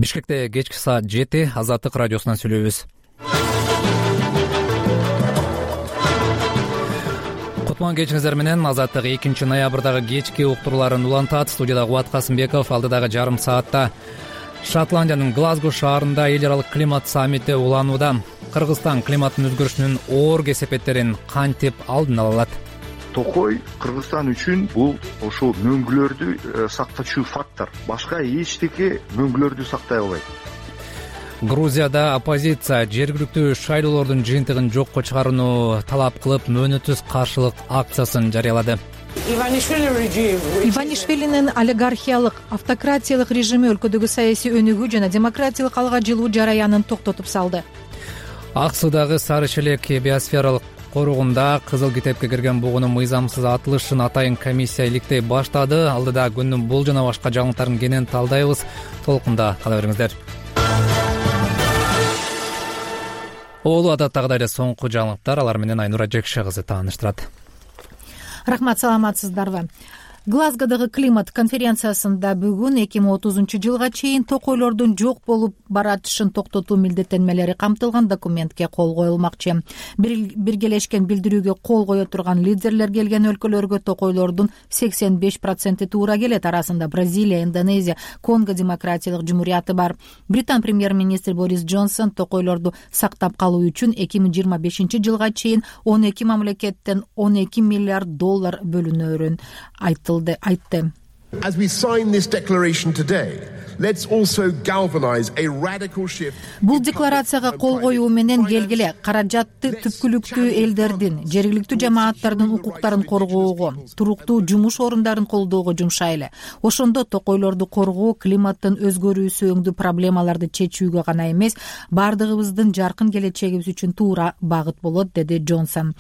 Бишкекте кечки саат 7 Азаттык радиосунан сүйлөйбүз. Кутман кечиңиздер менен. Азаттык 2 ноябрдагы кечки уктурууларын улантат. Студияда Кубат Касымбеков. Алдыдагы жарым саатта Шотландиянын Глазго шаарында эл аралык климат саммити уланууда. Кыргызстан климаттын өзгөрүшүнүн оор кесепеттерин кантип алдын ала алат? Токой Кыргызстан үчүн бул ошол мөңгүлөрдү сактоочу фактор. Башка эчтеке мөңгүлөрдү сактай албайт. Грузияда оппозиция жергиликтүү шайлоолордун жыйынтыгын жокко чыгарууну талап кылып, мөөнөтсүз каршылык акциясын жарыялады. Иванишвилинин олигархиялык, автократиялык режими өлкөдөгү саясий өнүгүү жана демократиялык алга жылуу жараянын токтотуп салды. Аксудагы Сары Шелек биосфералык коруугунда Кызыл китепке кирген бугунун мыйзамсыз атылышын атайын комиссия иликтей баштады. Алдыда күндүн бул жана башка жаңылыктарын кенен талдайбыз. Толкунда кала бериңиздер. Олу адаттагыдай эле соңку жаңылыктар, алар менен Айнура Жекше кызы тааныштырат. Рахмат, саламатсыздарбы? Глазгодогу климат конференциясында бүгүн 2030 жылга чейин токойлордун жок болуп баратышын токтотуу милдеттенмелери камтылган документке кол коюлмакчы. Биргелешкен билдирүүгө кол кое турган лидерлер келген өлкөлөргө токойлордун 85% туура келет. Арасында Бразилия, Индонезия, Конго демократиялык жумурияты бар. Британ премьер-министр Борис Джонсон токойлорду сактап калуу үчүн 2025 жылга чейин 12 мамлекеттен $12 миллиард бөлүнөрүн айтты. As we sign this declaration today, let's also galvanize a radical shift. Бул декларацияга кол коюу менен келгиле каражатты түпкүлүктүү элдердин, жергиликтүү жамааттардын укуктарын коргоого, туруктуу жумуш орундарын колдоого жумшайлы. Ошондо токойлорду коргоо, климаттын өзгөрүүсү өңдүү проблемаларды чечүүгө гана эмес, бардыгыбыздын жаркын келечегибиз үчүн туура багыт болот, деди Джонсон.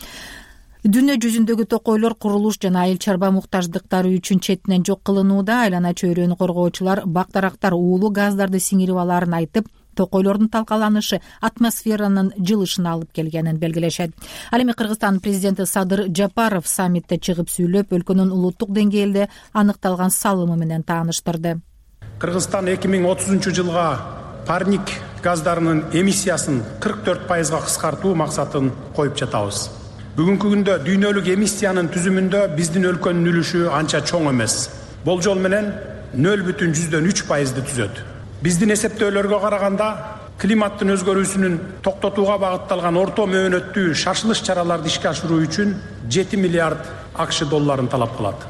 Дүйнө жүзүндөгү токойлор курулуш жана айыл чарба муктаждыктары үчүн четинен жок кылынууда. Айлана чөйрөнү коргоочулар бак-дарактар уулуу газдарды сиңирип алаарын айтып, токойлордун талкаланышы атмосферанын жылышына алып келгенин белгилешет. Ал эми Кыргызстан президенти Садыр Жапаров саммитте чыгып сүйлөп, өлкөнүн улуттук деңгээлде аныкталган салымы менен тааныштырды. Кыргызстан 2030 жылга парник газдарынын эмиссиясын 44% кыскартуу максатын коюп жатабыз. Бүгүнкү күндө дүйнөлүк эмиссиянын түзүмүндө биздин өлкөнүн үлүшү анча чоң эмес. Болжол менен 0,3% түзөт. Биздин эсептөөлөргө караганда климаттын өзгөрүүсүнүн токтотууга багытталган орто мөөнөттүү шашылыш чараларды ишке ашыруу үчүн $7 миллиард талап кылат.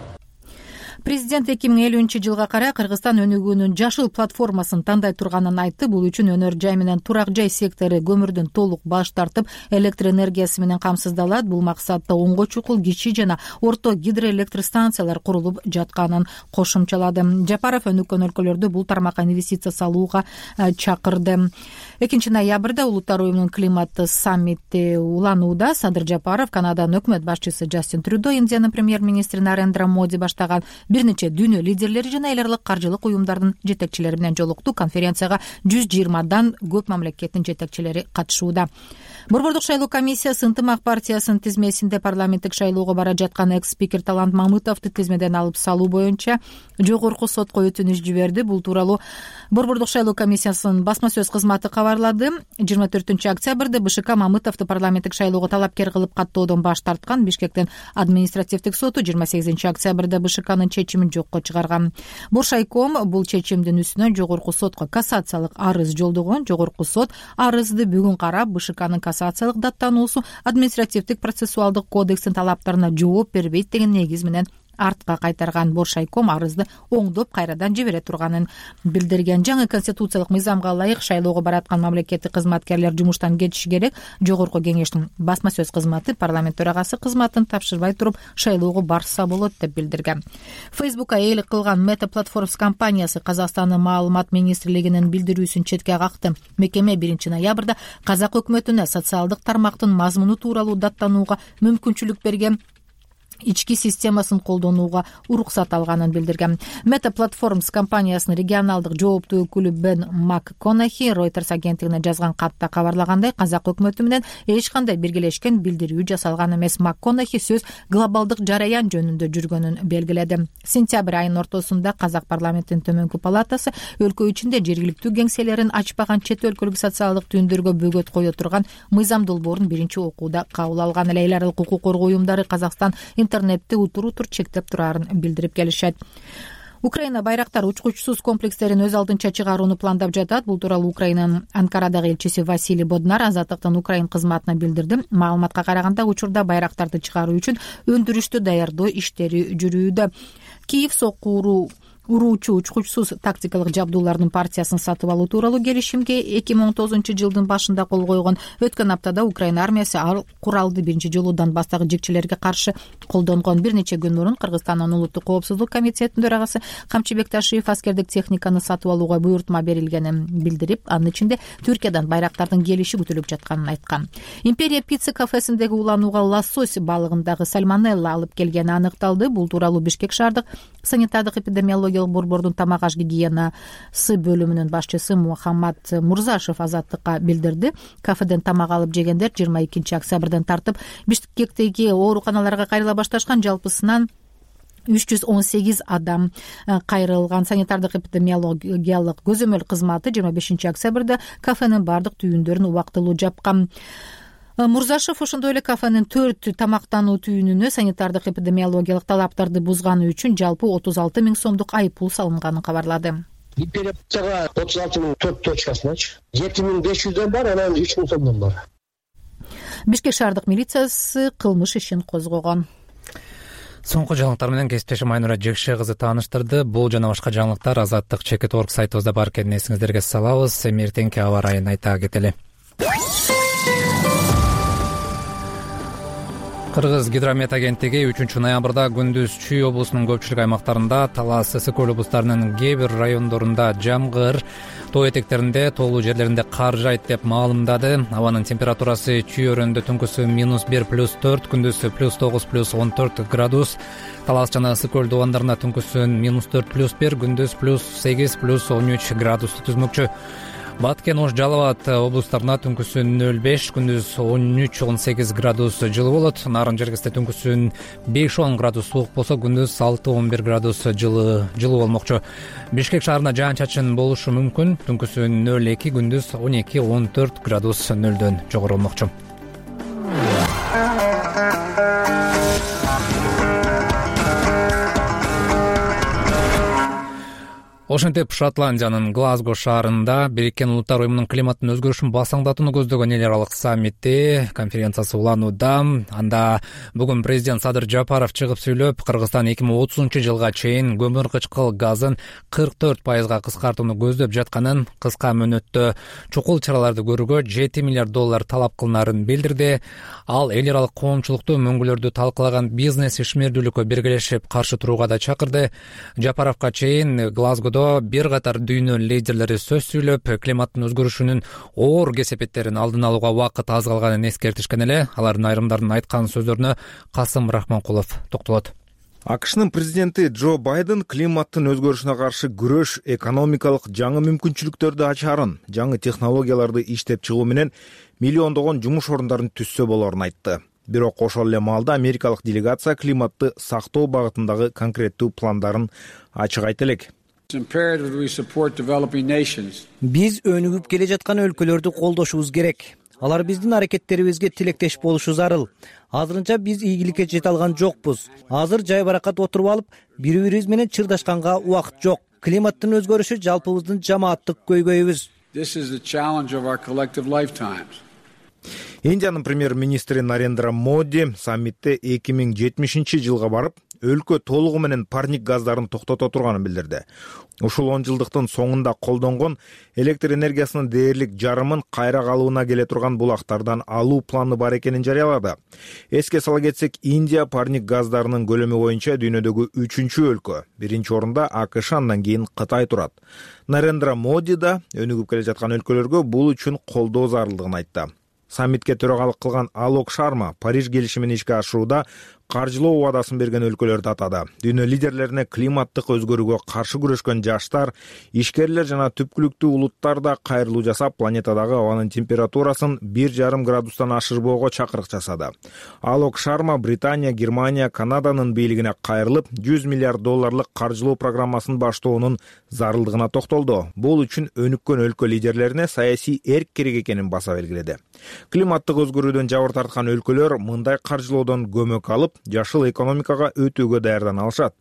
Президент 2050 жылга карай Кыргызстан өнүгүүнүн жашыл платформасын тандай турганын айтты. Бул үчүн өнөр жай менен турак жай сектору көмүрдөн толук баш тартып, электр энергиясы менен камсыздалат. Бул максатта оңго чукул кичи жана орто гидроэлектростанциялар курулуп жатканын кошумчалады. Жапаров өнүккөн өлкөлөрдү бул тармакка инвестиция салууга чакырды. 2 ноябрда Улуттар уюмунун климат саммити уланууда. Садыр Жапаров Канаданын өкмөт башчысы Джастин Трюдо, Индиянын премьер-министри Нарендра Моди баштаган бир нече дүйнө лидерлери жана эл аралык каржылык уюмдардын жетекчилери менен жолукту. Конференцияга 120дан көп мамлекеттин жетекчилери катышууда. Борбордук шайлоо комиссиясы Ынтымак партиясынын тизмесинде парламенттик шайлоого бара жаткан экс-спикер Талант Мамытовду тизмеден алып салуу боюнча жогорку сотко өтүнүш жиберди. Бул тууралуу Борбордук шайлоо комиссиясынын басма сөз кызматы кабарлады. 24 октябрда БШК Мамытовду парламенттик шайлоого талапкер кылып каттоодон баш тарткан. Бишкектин административдик соту 28 октябрда БШКнын чечимин жокко чыгарган. Боршайком бул чечимдин үстүнөн жогорку сотко кассациялык арыз жолдогон. Жогорку сот арызды бүгүн карап, БШКнын кассациялык даттануусу административдик процессуалдык кодекстин талаптарына жооп бербейт деген негиз менен артка кайтарган. Боршайком арызды оңдоп кайрадан жибере турганын билдирген. Жаңы конституциялык мыйзамга ылайык шайлоого бараткан мамлекеттик кызматкерлер жумуштан кетиши керек. Жогорку кеңештин басма сөз кызматы парламент төрагасы кызматын тапшырбай туруп шайлоого барса болот деп билдирген. Facebook'a ээлик кылган Meta Platforms компаниясы Казакстандын маалымат министрлигинин билдирүүсүн четке какты. Мекеме 1 ноябрда Казак өкмөтүнө социалдык тармактын мазмуну тууралуу даттанууга мүмкүнчүлүк берген. ички системасын колдонууга уруксат алганын билдирген. Meta Platforms компаниясынын регионалдык жооптуу өкүлү Бен МакКонахи Reuters агенттигине жазган катта кабарлагандай, казак өкмөтү менен эч кандай биргелешкен билдирүү жасалган эмес. МакКонахи сөз глобалдык жараян жөнүндө жүргөнүн белгиледи. Сентябрь айынын ортосунда казак парламентинин төмөнкү палатасы өлкө ичинде жергиликтүү кеңселерин ачпаган чет өлкөлүк социалдык түйүндөргө бөгөт кое турган мыйзам долбоорун биринчи окууда кабыл алган. Эл аралык укук коргоо уюмдары Казакстан интернетти утур-утур чектеп турарын билдирип келишет. Украина байрактар учкучсуз комплекстерин өз алдынча чыгарууну пландап жатат. Бул тууралуу Украинанын Анкарадагы элчиси Василий Боднар Азаттыктын Украин кызматына билдирди. Маалыматка караганда, учурда байрактарды чыгаруу үчүн өндүрүштү даярдоо иштери жүрүүдө. Киев сокку уруучу учкучсуз тактикалык жабдуулардын партиясын сатып алуу тууралуу келишимге 2019-жылдын башында кол койгон. Өткөн аптада Украина армиясы ал куралды биринчи жолу Донбасстагы жекчелерге каршы колдонгон. Бир нече күн мурун Кыргызстандын Улуттук коопсуздук комитетинин төрагасы Камчыбек Ташиев аскердик техниканы сатып алууга буйртма берилгенин билдирип, анын ичинде Түркиядан байрактардын келиши күтүлүп жатканын айткан. Империя пицца кафесиндеги уланууга лосось балыгындагы сальмонелла алып келгени аныкталды. Бул тууралуу Бишкек шаардык санитардык эпидемиологиялык борбордун тамак аш гигиенасы бөлүмүнүн башчысы Мухаммад Мурзашев Азаттыкка билдирди. Кафеден тамак алып жегендер 22 октябрдан тартып Бишкектеги ооруканаларга кайрыла башташкан. Жалпысынан 318 адам кайрылган. Санитардык эпидемиологиялык көзөмөл кызматы 25 октябрда кафенин бардык түйүндөрүн убактылуу жапкан. Мурзашев ошондой эле кафенин 4 тамактануу түйүнүнө санитардык эпидемиологиялык талаптарды бузганы үчүн жалпы 36 000 сомдук айыппул салынганын кабарлады. Империя пиццага 36 000 4 точкасыначы 7500дөн бар, анан 3000 сомдон бар. Бишкек шаардык милициясы кылмыш ишин козгогон. Соңку жаңылыктар менен кесиптешим Айнура Жекше кызы тааныштырды. Бул жана башка жаңылыктар Азаттык Чекит.org сайтыбызда бар экенин эсиңиздерге салабыз. Эртеңки аба ырайын айта кетели. Кыргыз гидромет агенттиги 3-ноябрда күндүз Чүй облусунун көпчүлүк аймактарында, Талас, Ысык-Көл облустарынын кээ бир райондорунда жамгыр, тоо этектеринде, тоолуу жерлеринде кар жайт деп маалымдады. Абанын температурасы Чүй өрөөнүндө түнкүсү -1+4, күндүзү +9+14 градус. Талас жана Ысык-Көл дубандарында түнкүсү -4+1, күндүз +8+13 градусту түзмөкчү. Баткен, Ош, Жалал Абад облустарында түнкүсү 0,5, күндүз 13-18 градус жылуу болот. Нарын жергесте түнкүсү 5-10 градус суук болсо, күндүз 6-11 градус жылуу болмокчу. Бишкек шаарында жаан-чачын болушу мүмкүн. Түнкүсү 0,2, күндүз 12-14 градус нөлдөн жогору болмокчу. Ошентип, Шотландиянын Глазго шаарында Бириккен Улуттар уюмунун климаттын өзгөрүшүн басаңдатууну көздөгөн эл аралык саммити конференциясы уланууда. Анда бүгүн президент Садыр Жапаров чыгып сүйлөп, Кыргызстан 2030-жылга чейин көмүр кычкыл газын 44% кыскартууну көздөп жатканын, кыска мөөнөттө чукул чараларды көрүүгө $7 миллиард талап кылынарын билдирди. Ал эл аралык коомчулукту мөңгүлөрдү талкалаган бизнес ишмердүүлүккө биргелешип каршы турууга да чакырды. Жапаровго чейин Глазгодо бир катар дүйнө лидерлери сөз сүйлөп, климаттын өзгөрүшүнүн оор кесепеттерин алдын алууга убакыт аз калганын эскертишкен эле. Алардын айрымдарынын айткан сөздөрүнө Касым Рахманкулов токтолот. АКШнын президенти Джо Байден климаттын өзгөрүшүнө каршы күрөш экономикалык жаңы мүмкүнчүлүктөрдү ачаарын, жаңы технологияларды иштеп чыгуу менен миллиондогон жумуш орундарын түзсө болорун айтты. Бирок ошол эле маалда америкалык делегация климатты сактоо багытындагы конкреттүү пландарын ачык айта элек. Биз өнүгүп келе жаткан өлкөлөрдү колдошубуз керек. Алар биздин аракеттерибизге тилектеш болушу зарыл. Азырынча биз ийгиликке жете алган жокпуз. Азыр жай баракат отуруп алып, бири-бирибиз менен чырдашканга убакыт жок. Климаттын өзгөрүшү жалпыбыздын жамааттык көйгөйүбүз. Индиянын премьер-министри Нарендра Моди саммитте 2070-жылга барып, өлкө толугу менен парник газдарын токтото турганын билдирди. Ушул 10 жылдыктын соңунда колдонгон электр энергиясынын дээрлик жарымын кайра калыбына келе турган булактардан алуу планы бар экенин жарыялады. Эске сала кетсек, Индия парник газдарынын көлөмү боюнча дүйнөдөгү 3-чү өлкө. Биринчи орунда АКШ, андан кийин Кытай турат. Нарендра Моди да өнүгүп келе жаткан өлкөлөргө бул үчүн колдоо зарылдыгын айтты. Саммитке төрагалык кылган Алок Шарма Париж келишимин ишке ашырууда каржылоо убадасын берген өлкөлөрдү атады. Дүйнө лидерлерине климаттык өзгөрүүгө каршы күрөшкөн жаштар, ишкерлер жана түпкүлүктүү улуттар да кайрылуу жасап, планетадагы абанын температурасын 1,5 градустан ашырбоого чакырык жасады. Алок Шарма Британия, Германия, Канаданын бийлигине кайрылып, $100 миллиард каржылоо программасын баштоонун зарылдыгына токтолду. Бул үчүн өнүккөн өлкө лидерлерине саясий эрк керек экенин баса белгиледи. Климаттык өзгөрүүдөн жабыр тарткан өлкөлөр мындай каржылоодон көмөк алып, жашыл экономикага өтүүгө даярдана алышат.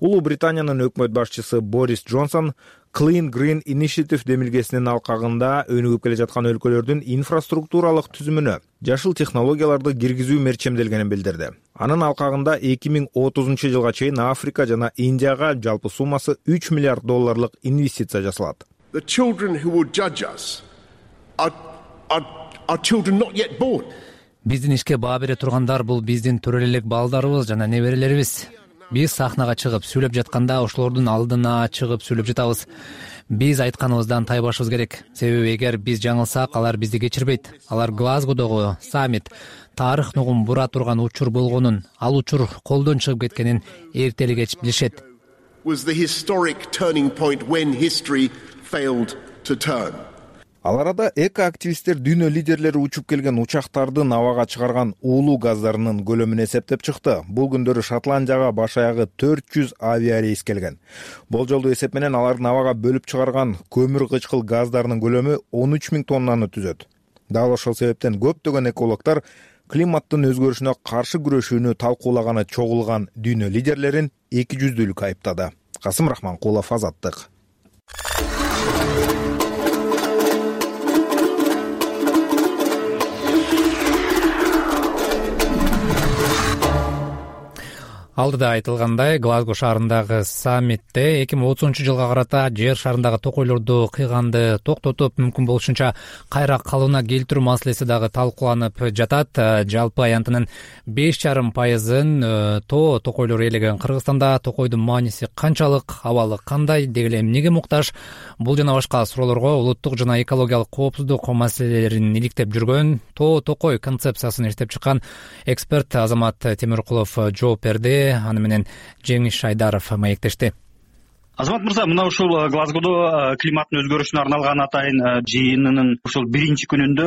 Улуу Британиянын өкмөт башчысы Борис Джонсон Clean Green Initiative демилгесинин алкагында өнүгүп келе жаткан өлкөлөрдүн инфраструктуралык түзүмүнө жашыл технологияларды киргизүү мерчемделгенин билдирди. Анын алкагында 2030 жылга чейин Африка жана Индияга жалпы суммасы $3 миллиард инвестиция жасалат. The children who will judge us are children not yet born. Биздин ишке баа бере тургандар бул биздин төрө элек балдарыбыз жана неберелерибиз. Биз сахнага чыгып сүйлөп жатканда ошолордун алдына чыгып сүйлөп жатабыз. Биз айтканыбыздан тайбашыбыз керек. Себеби эгер биз жаңылсак, алар бизди кечирбейт. Алар Глазгодогу саммит тарых нугун бура турган учур болгонун, ал учур колдон чыгып кеткенин эртели кеч билишет. Was the historic turning point when history failed to turn. Ал арада эко-активисттер дүйнө лидерлери учуп келген учактардын абага чыгарган уулуу газдарынын көлөмүн эсептеп чыкты. Бул күндөрү Шотландияга баш аягы 400 авиарейс келген. Болжолдуу эсеп менен алардын абага бөлүп чыгарган көмүр кычкыл газдарынын көлөмү 13,000 тоннаны түзөт. Дал ошол себептен көптөгөн экологдор климаттын өзгөрүшүнө каршы күрөшүүнү талкуулаганы чогулган дүйнө лидерлерин экижүздүүлүк айыптады. Касым Рахманкулов, Азаттык. Алдыда айтылгандай, Глазго шаарындагы саммитте 2030 жылга карата жер шарындагы токойлорду кыйганды токтотуп, мүмкүн болушунча кайра калыбына келтирүү маселеси дагы талкууланып жатат. Жалпы аянтынын 5,5% токойлор ээлеген Кыргызстанда токойдун мааниси канчалык, абалы кандай, деги эле эмнеге муктаж? Бул жана башка суроолорго улуттук жана экологиялык коопсуздук маселелерин иликтеп жүргөн, токой концепциясын иштеп чыккан эксперт Азамат Темиркулов жооп берди. Аны менен Жеңиш Айдаров маектешти. Азамат мырза, мына ушул Глазгодо климаттын өзгөрүшүнө арналган атайын жыйынынын ушул биринчи күнүндө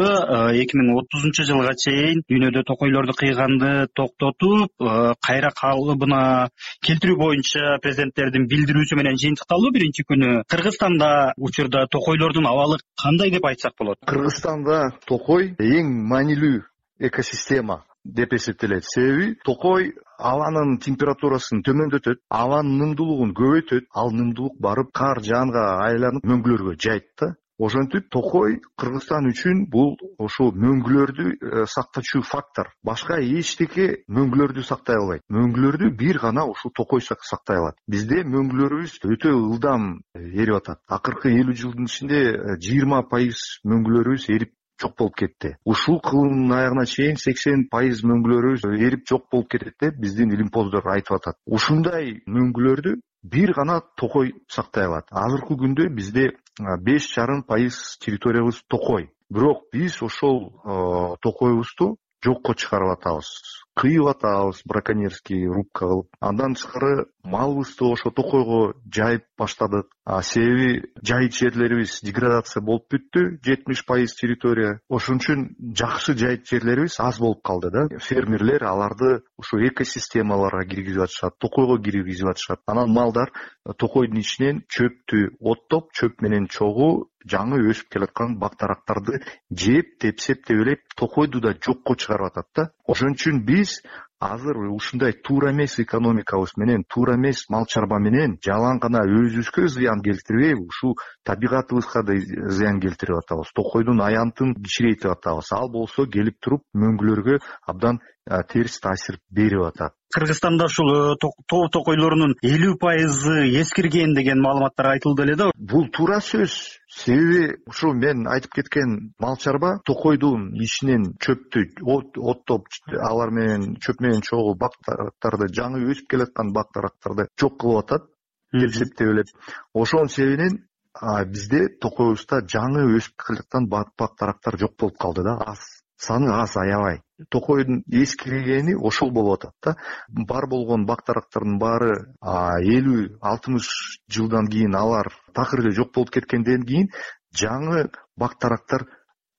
2030 жылга чейин дүйнөдө токойлорду кыйганды токтотуп, кайра калыбына келтирүү боюнча президенттердин билдирүүсү менен жыйынтыкталды биринчи күнү. Кыргызстанда учурда токойлордун абалы кандай деп айтсак болот? Кыргызстанда токой эң маанилүү экосистема деп эсептелет. Себеби токой абанын температурасын төмөндөтөт, абанын нымдуулугун көбөйтөт, ал нымдуулук барып кар жаанга айланып мөңгүлөргө жайт да. Ошентип токой Кыргызстан үчүн бул ошол мөңгүлөрдү сактачу фактор. Башка эчтеке мөңгүлөрдү сактай албайт. Мөңгүлөрдү бир гана ушул токой сактай алат. Бизде мөңгүлөрүбүз өтө ылдам эрип атат. Акыркы 50 жылдын ичинде 20% мөңгүлөрүбүз эрип жок болуп кетти. Ушул кылымдын аягына чейин 80% мөңгүлөрүбүз эрип жок болуп кетет деп биздин илимпоздор айтып атат. Ушундай мөңгүлөрдү бир гана токой сактай алат. Азыркы күндө бизде 5,5% территориябыз токой. Бирок биз ошол токойбузду жокко чыгарып атабыз. Кыйып атабыз браконьерский рубка кылып. Андан тышкары малыбызды ошо токойго жайып баштадык. Себеби жайыт жерлерибиз деградация болуп бүттү, 70% территория. Ошон үчүн жакшы жайыт жерлерибиз аз болуп калды да. Фермерлер аларды ушу экосистемаларга киргизип атышат, токойго киргизип атышат. Анан малдар токойдун ичинен чөптү оттоп, чөп менен чогуу жаңы өсүп келаткан бактарактарды жеп, тепсеп деп токойду да жокко чыгарып атат да. Ошон үчүн биз азыр ушундай туура эмес экономикабыз менен, туура эмес мал чарба менен жалаң гана өзүбүзгө зыян келтирбей, ушул табигатыбызга да зыян келтирип атабыз. Токойдун аянтын кичирейтип атабыз. Ал болсо келип туруп мөңгүлөргө абдан терс таасир берип атат. Кыргызстанда ушул тоо токойлорунун 50% эскирген деген маалыматтар айтылды эле да. Бул туура сөз. Себеби ушу мен айтып кеткен мал чарба токойдун ичинен чөптү оттоп, алар менен чөп менен чогуу бактарактарды, жаңы өсүп келаткан бактарактарды жок кылып атат, келсептеп. Ошонун себебинен бизде токойбузда жаңы өсүп келаткан бактарактар жок болуп калды да, аз. саны аз, аябай. Токойдун эскиргени ошол болуп атат да. Бар болгон бактарактардын баары 50-60 жылдан кийин алар такыр эле жок болуп кеткенден кийин жаңы бактарактар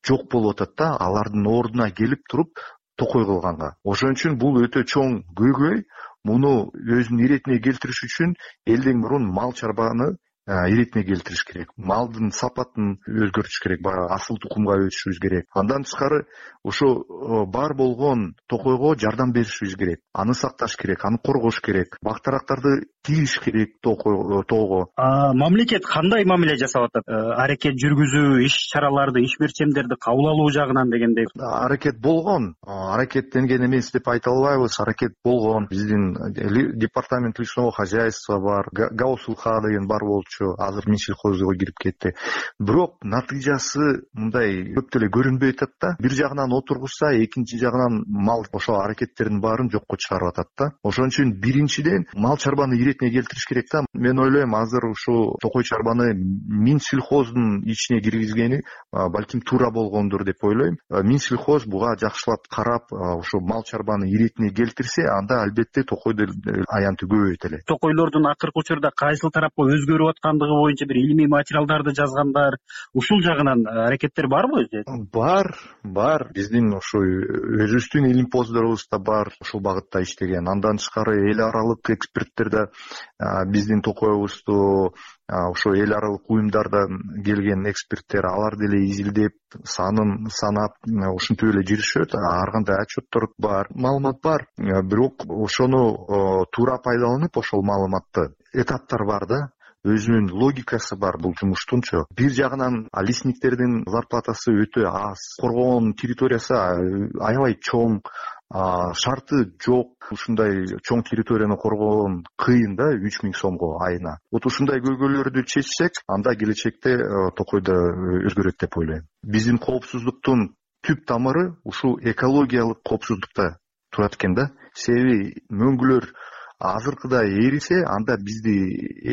жок болуп атат да, алардын ордуна келип туруп токой кылганга. Ошон үчүн бул өтө чоң көйгөй. Муну өзүнүн иретине келтириш үчүн элден мурун мал чарбаны иретине келтириш керек. Малдын сапатын өзгөртүш керек, баягы асыл тукумга өтүшүбүз керек. Андан тышкары ошо бар болгон токойго жардам беришибиз керек. Аны сакташ керек, аны коргош керек. Бактарактарды тийиш керек тоого. Мамлекет кандай мамиле жасап атат? Аракет жүргүзүү, иш чараларды, иш берчемдерди кабыл алуу жагынан дегендей. Аракет болгон. Аракеттенген эмес деп айта албайбыз. Аракет болгон. Биздин департамент личного хозяйства бар, гаусулха деген бар болчу. Азыр Минсельхозго кирип кетти. Бирок натыйжасы мындай көп деле көрүнбөй атат да. Бир жагынан отургузса, экинчи жагынан мал ошо аракеттердин баарын жокко чыгарып атат да. Ошон үчүн биринчиден мал чарбаны иретине келтириш керек да. Мен ойлойм, азыр ушу токой чарбаны Минсельхоздун ичине киргизгени балким туура болгондур деп ойлойм. Минсельхоз буга жакшылап карап, ушу мал чарбаны иретине келтирсе, анда албетте токойдун аянты көбөйөт эле. Токойлордун акыркы учурда кайсыл тарапка өзгөрүп аткандыгы боюнча бир илимий материалдарды жазгандар, ушул жагынан аракеттер барбы? Бар. Биздин ушу өзүбүздүн илимпоздорубуз да бар ушул багытта иштеген. Андан тышкары эл аралык эксперттер да биздин токойбузду ошо эл аралык уюмдардан келген эксперттер, алар деле изилдеп, санын санап, ушинтип эле жүрүшөт. Ар кандай отчеттор бар, маалымат бар. Бирок ошону туура пайдаланып, ошол маалыматты этаптар бар да. Өзүнүн логикасы бар бул жумуштунчу. Бир жагынан лесниктердин зарплатасы өтө аз, коргоон территориясы аябай чоң, шарты жок. Ушундай чоң территорияны коргоон кыйын да, 3000 сомго айына. Вот ушундай көйгөйлөрдү чечсек, анда келечекте токойдо өзгөрөт деп ойлойм. Биздин коопсуздуктун түп тамыры ушул экологиялык коопсуздукта турат экен да. Себеби мөңгүлөр азыркыдай эрисе, анда бизди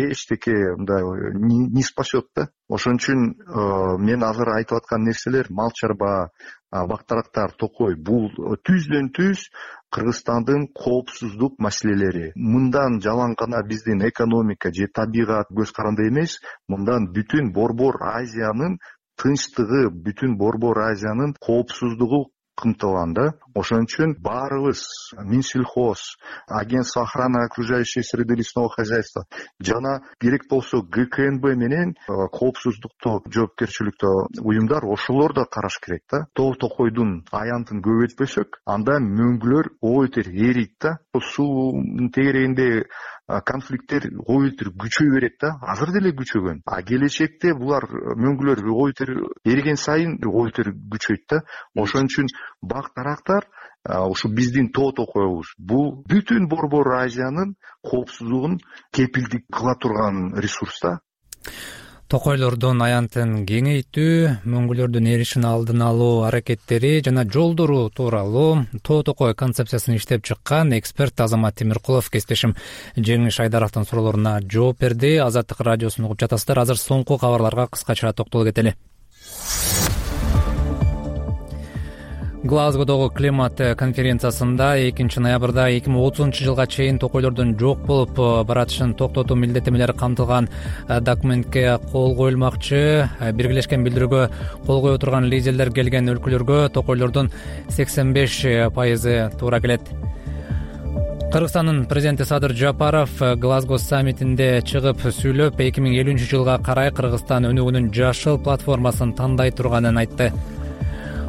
эчтеке мындай не спасет да. Ошон үчүн мен азыр айтып аткан нерселер, мал чарба, бактарактар, токой, бул түздөн түз Кыргызстандын коопсуздук маселелери. Мындан жалаң гана биздин экономика же табигат көз каранды эмес, мындан бүтүн Борбор Азиянын тынчтыгы, бүтүн Борбор Азиянын коопсуздугу кымтылган да. Ошон үчүн баарыбыз Минсельхоз, агентство охраны окружающей среды лесного хозяйства жана керек болсо ГКНБ менен коопсуздукту жоопкерчиликтүү уюмдар ошолор да караш керек да. Токойдун аянтын көбөйтпөсөк, анда мөңгүлөр ойотер эрийт да. Суунун тегерегинде конфликттер ойотер күчөй берет да. Азыр деле күчөгөн. Келечекте булар мөңгүлөр ойотер эриген сайын ойотер күчөйт да. Ошон үчүн бактарактар ушу биздин токойбуз бул бүтүн Борбор Азиянын коопсуздугун кепилдик кыла турган ресурс да. Токойлордун аянтын кеңейтүү, мөңгүлөрдүн эришин алдын алуу аракеттери жана жолдору тууралуу токой концепциясын иштеп чыккан эксперт Азамат Темиркулов кесиптешим Жеңиш Айдаровдун суроолоруна жооп берди. Азаттык радиосун угуп жатасыздар. Азыр соңку кабарларга кыскача токтоло кетели. Глазгодогу климат конференциясында 2 ноябрда 2030 жылга чейин токойлордун жок болуп баратышын токтотуу милдеттемелери камтылган документке кол коюлмакчы. Биргелешкен билдирүүгө кол кое турган лидерлер келген өлкөлөргө токойлордун 85% туура келет. Кыргызстандын президенти Садыр Жапаров Глазго саммитинде чыгып сүйлөп, 2050 жылга карай Кыргызстан өнүгүүнүн жашыл платформасын тандай турганын айтты.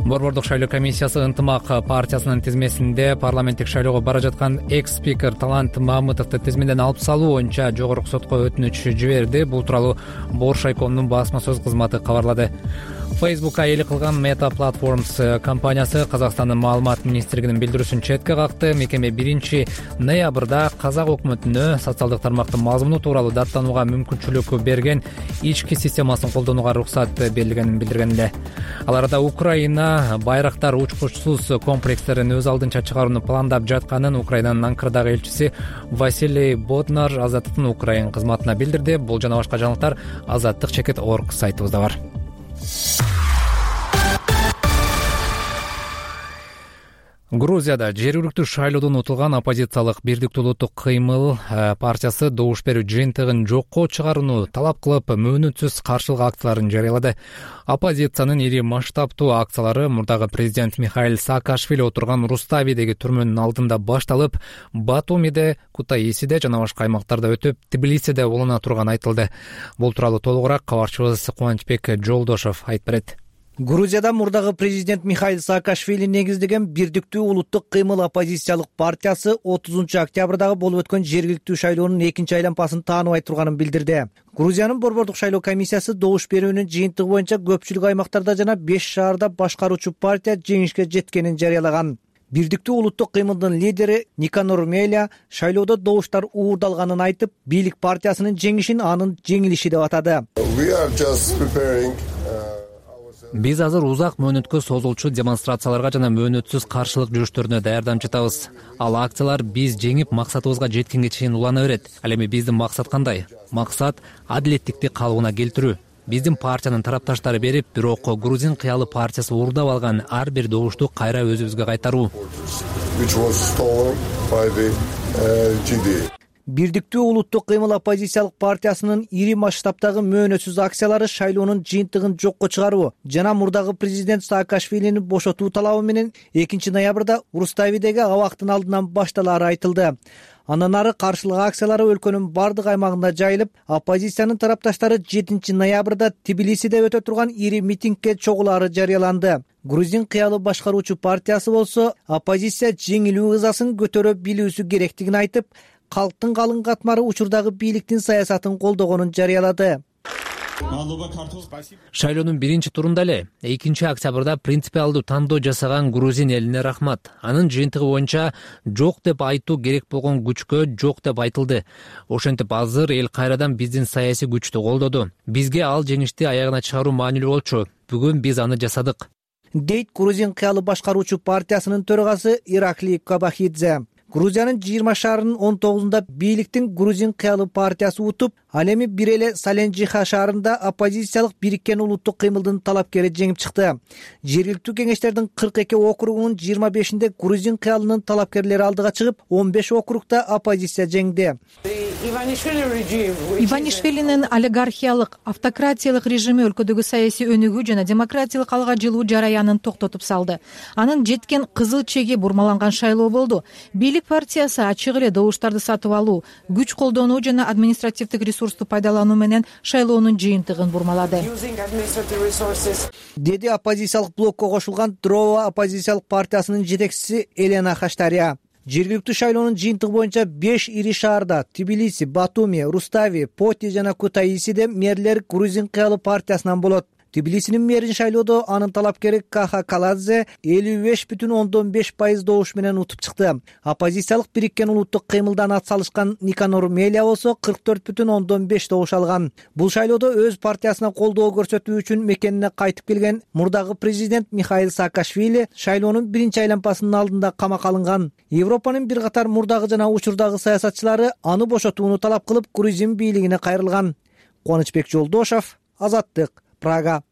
Борбордук шайлоо комиссиясы Ынтымак партиясынын тизмесинде парламенттик шайлоого бара жаткан экс-спикер Талант Мамытовду тизмеден алып салуу боюнча жогорку сотко өтүнүч жиберди. Бул тууралуу Боршайкомдун басма сөз кызматы кабарлады. Facebook'ка ээлик кылган Meta Platforms компаниясы Казакстандын маалымат министрлигинин билдирүүсүн четке какты. Мекеме 1 ноябрда казак өкмөтүнө социалдык тармактын мазмуну тууралуу даттанууга мүмкүнчүлүк берген ички системасын колдонууга уруксат берилгенин билдирген эле. Ал арада Украина байрактар учкучсуз комплекстерин өз алдынча чыгарууну пландап жатканын Украинанын Анкарадагы элчиси Василий Боднар Азаттыктын Украин кызматына билдирди. Бул жана башка жаңылыктар azattik.org сайтыбызда бар. Грузияда жергиликтүү шайлоодон утулган оппозициялык Бирдиктүү улуттук кыймыл партиясы добуш берүү жыйынтыгын жокко чыгарууну талап кылып мөөнөтсүз каршылык акцияларын жарыялады. Оппозициянын ири масштабтуу акциялары мурдагы президент Михаил Саакашвили отурган Руставидеги түрмөнүн алдында башталып, Батумиде, Кутаисиде жана башка аймактарда өтүп, Тбилисиде улана турганы айтылды. Бул тууралуу толугураак кабарчыбыз Кубанычбек Жолдошов айтып берет. Грузияда мурдагы президент Михаил Саакашвили негиздеген Бирдиктүү улуттук кыймыл оппозициялык партиясы 30 октябрдагы болуп өткөн жергиликтүү шайлоонун экинчи айланпасын тааныбай турганын билдирди. Грузиянын борбордук шайлоо комиссиясы добуш берүүнүн жыйынтыгы боюнча көпчүлүк аймактарда жана 5 шаарда башкаруучу партия жеңишке жеткенин жарыялаган. Бирдиктүү улуттук кыймылдын лидери Никанор Меля шайлоодо добуштар уурдалганын айтып, бийлик партиясынын жеңишин анын жеңилиши деп атады. Биз азыр узак мөөнөткө созулчу демонстрацияларга жана мөөнөтсүз каршылык жүрүштөрүнө даярданып жатабыз. Ал акциялар биз жеңип максатыбызга жеткенге чейин улана берет. Ал эми биздин максат кандай? Максат адилеттикти калыбына келтирүү. Биздин партиянын тарапташтары берип, бирок Грузин кыялы партиясы уурдап алган ар бир добушту кайра өзүбүзгө кайтаруу. Бирдиктүү улуттук кыймыл оппозициялык партиясынын ири масштабтагы мөөнөтсүз акциялары шайлоонун жыйынтыгын жокко чыгаруу жана мурдагы президент Саакашвилини бошотуу талабы менен 2 ноябрда Руставидеги абактын алдынан башталары айтылды. Андан ары каршылык акциялары өлкөнүн бардык аймагында жайылып, оппозициянын тарапташтары 7 ноябрда Тбилисиде өтө турган ири митингге чогулаары жарыяланды. Грузин кыялы башкаруучу партиясы болсо, оппозиция жеңилүү ызасын көтөрө билүүсү керектигин айтып, калктын калың катмары учурдагы бийликтин саясатын колдогонун жарыялады. Шайлоонун биринчи турунда эле 2 октябрда принципиалдуу тандоо жасаган грузин элине рахмат. Анын жыйынтыгы боюнча жок деп айтуу керек болгон күчкө жок деп айтылды. Ошентип азыр эл кайрадан биздин саясий күчтү колдоду. Бизге ал жеңишти аягына чыгаруу маанилүү болчу. Бүгүн биз аны жасадык, дейт Грузин кыялы башкаруучу партиясынын төрагасы Иракли Кабахидзе. Грузиянын 20 шаарынын 19-унда бийликтин Грузин кыялы партиясы утуп, ал эми бир эле Саленжиха шаарында оппозициялык бириккен улуттук кыймылдын талапкери жеңип чыкты. Жергиликтүү кеңештердин 42 округунун 25-inde Грузин кыялынын талапкерлери алдыга чыгып, 15 округда оппозиция жеңди. Иванишвилинин олигархиялык, автократиялык режими өлкөдөгү саясий өнүгүү жана демократиялык алга жылуу жараянын токтотуп салды. Анын жеткен кызыл чеги бурмаланган шайлоо болду. Бийлик партиясы ачык эле добуштарды сатып алуу, күч колдонуу жана административдик ресурсту пайдалануу менен шайлоонун жыйынтыгын бурмалады, деди оппозициялык блокко кошулган Дрова оппозициялык партиясынын жетекчиси Елена Хаштария. Жергиликтүү шайлоонун жыйынтыгы боюнча 5 ири шаарда Тбилиси, Батуми, Рустави, Поти жана Кутаисиде мэрлер Грузин кыялы партиясынан болот. Тбилисинин мэрин шайлоодо анын талапкери Каха Каладзе 55,5% добуш менен утуп чыкты. Оппозициялык бириккен улуттук кыймылдан ат салышкан Никанор Меля болсо 44,5% добуш алган. Бул шайлоодо өз партиясына колдоо көрсөтүү үчүн мекенине кайтып келген мурдагы президент Михаил Саакашвили шайлоонун биринчи айланпасынын алдында камакка алынган. Европанын бир катар мурдагы жана учурдагы саясатчылары аны бошотууну талап кылып, Грузин бийлигине кайрылган. Кубанычбек Жолдошов, Азаттык, Прага.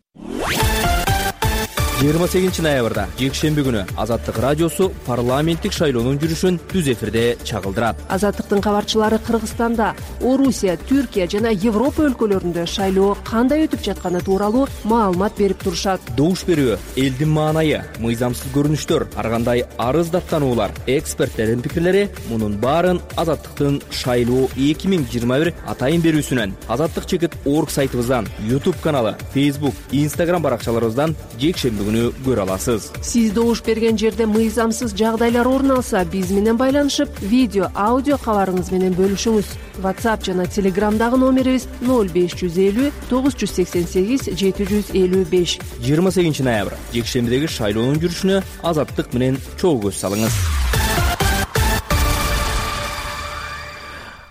28 ноябрда жекшемби күнү Азаттык радиосу парламенттик шайлоонун жүрүшүн түз эфирде чагылдырат. Азаттыктын кабарчылары Кыргызстанда, Орусия, Түркия жана Европа өлкөлөрүндө шайлоо кандай өтүп жатканы тууралуу маалымат берип турушат. Добуш берүү, элдин маанайы, мыйзамсыз көрүнүштөр, ар кандай арыз даттануулар, эксперттердин пикирлери — мунун баарын Азаттыктын шайлоо 2021 атайын берүүсүнөн, azattik.org сайтыбыздан, YouTube каналы, Facebook, Instagram баракчаларыбыздан жекшемби көрө аласыз. Сиз добуш берген жерде мыйзамсыз жагдайлар орун алса, биз менен байланышып, видео, аудио кабарыңыз менен бөлүшүңүз. WhatsApp жана Telegramдагы номерибиз 0550 988 755. 28 ноябрь жекшембидеги шайлоонун жүрүшүнө Азаттык менен чогуу көз салыңыз.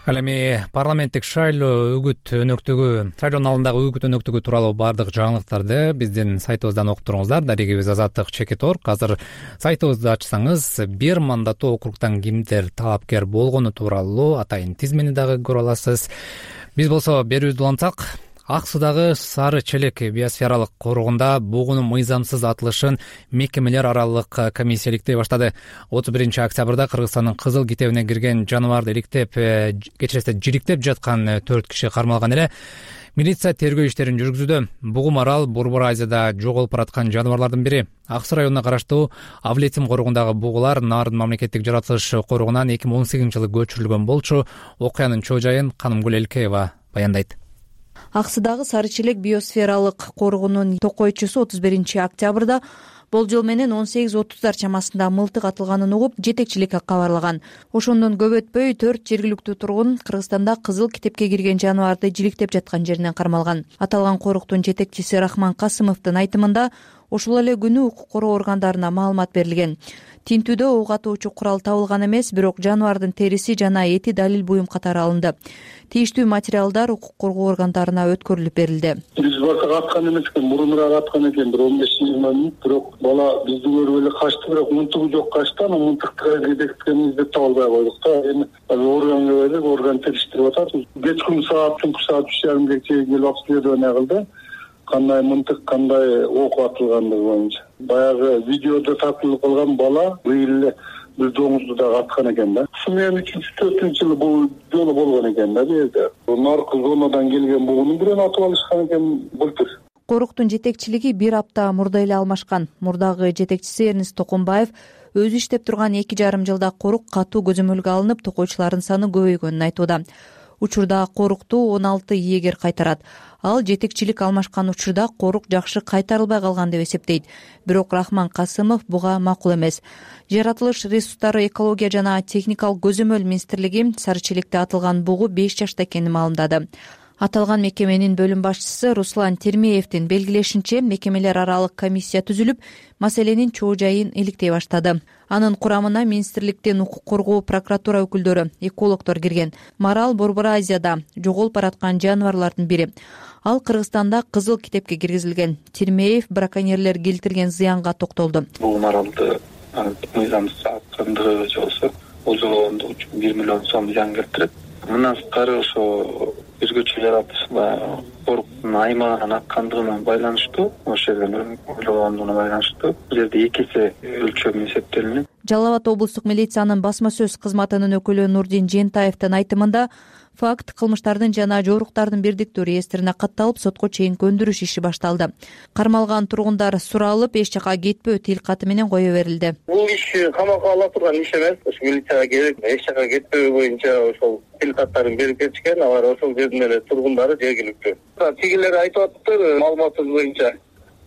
Ал эми парламенттик шайлоо үгүт өнөктүгү, шайлоонун алдындагы үгүт өнөктүгү тууралуу бардык жаңылыктарды биздин сайтыбыздан окуп туруңуздар. Дарегибиз Азаттык.org. Азыр сайтыбызды ачсаңыз, бир мандаттуу округтан кимдер талапкер болгону тууралуу атайын тизмени дагы көрө аласыз. Биз болсо берүүбүздү улантсак, Ак Суудагы Сары Челек биосфералык коргоонда бугунун мыйзамсыз атылышын мекемелер аралык комиссия иликтей баштады. 31 октябрда Кыргызстандын Кызыл китебине кирген жаныбарды жириктеп жаткан 4 киши кармалган эле. Милиция тергөө иштерин жүргүзүүдө. Бугум арал Борбор Азияда жоголуп бараткан жаныбарлардын бири. Ак Суу районуна караштуу Авлетим коргоонундагы бугулар Нарын мамлекеттик жаратылыш коргоонунан 2018 жылы көчүрүлгөн болчу. Окуянын чоо жайын Канымгүл Элкеева баяндайт. Ак Суудагы Сары Челек биосфералык коргоонунун токойчусу 31 октябрда болжол менен 18:30 чамасында мылтык атылганын угуп, жетекчиликке кабарлаган. Ошондон көп өтпөй 4 жергиликтүү тургун Кыргызстанда Кызыл китепке кирген жаныбарды жириктеп жаткан жеринен кармалган. Аталган коруктун жетекчиси Рахман Касымовдун айтымында, ошол эле күнү укук коргоо органдарына маалымат берилген. Тинтүүдө ок атуучу курал табылган эмес, бирок жаныбардын териси жана эти далил буюм катары алынды. Тийиштүү материалдар укук коргоо органдарына өткөрүлүп берилди. Биз башка аткан эмес экен, мурунураак аткан экен, 15-20 мүнөт, бирок бала бизди көрүп эле качты, бирок мынтыгы жок качты, анан мынтыкты жетектикени издеп таба албай койдук да. Эми органга берип, орган териштирип атат. Кечкүн саат, түнкү саат 3:30 чейин келип обследование кылды. Кандай мынтык, кандай ок атылгандыгы боюнча. Баягы видеодо тартылып калган бала быйыл эле бир доңузду дагы аткан экен да. Ушу менен 3-4 жылы бул жолу болгон экен да бу жерде. Наркы зонадан келген бугунун бирин атып алышкан экен былтыр. Коруктун жетекчилиги 1 апта мурда эле алмашкан. Мурдагы жетекчиси Эрнест Токонбаев өзү иштеп турган 2,5 жылда корук катуу көзөмөлгө алынып, токойчулардын саны көбөйгөнүн айтууда. Учурда корукту 16 ийгер кайтарат. Ал жетекчилик алмашкан учурда корук жакшы кайтарылбай калган деп эсептейт. Бирок Рахман Касымов буга макул эмес. Жаратылыш ресурстары, экология жана техникалык көзөмөл министрлиги Сары Челекте атылган бугу 5 жашта экенин маалымдады. Аталган мекеменин бөлүм башчысы Руслан Термеевдин белгилешинче, мекемелер аралык комиссия түзүлүп, маселенин чоо жайын иликтей баштады. Анын курамына министрликтин укук коргоо, прокуратура өкүлдөрү, экологдор кирген. Марал Борбор Азияда жоголуп бараткан жаныбарлардын бири. Ал Кыргызстанда Кызыл китепке киргизилген. Термеев браконьерлер келтирген зыянга токтолду. Бул маралды мыйзамсыз аткандыгы болсо, болжолгондугу үчүн 1 миллион сом зыян келтирет. Мындан сырткары ошо өзгөчө жаратылыш коруктун аймагынан аккандыгына байланыштуу, ошол жерден ойлогондугуна байланыштуу бул жерде 2 эсе өлчөм эсептелинет. Жалал Абад облустук милициянын басма сөз кызматынын өкүлү Нурдин Жентаевдин айтымында, факт кылмыштардын жана жоруктардын бирдиктүү реестрине катталып, сотко чейинки өндүрүш иши башталды. Кармалган тургундар суралып, эч жака кетпөө тил каты менен кое берилди. Бул иш камакка ала турган иш эмес. Ошо милицияга келип, эч жака кетпөө боюнча ошол тил каттарын берип кетишкен. Алар ошол жердин эле тургундары жергиликтүү. Тигилер айтып атыптыр, маалыматыбыз боюнча.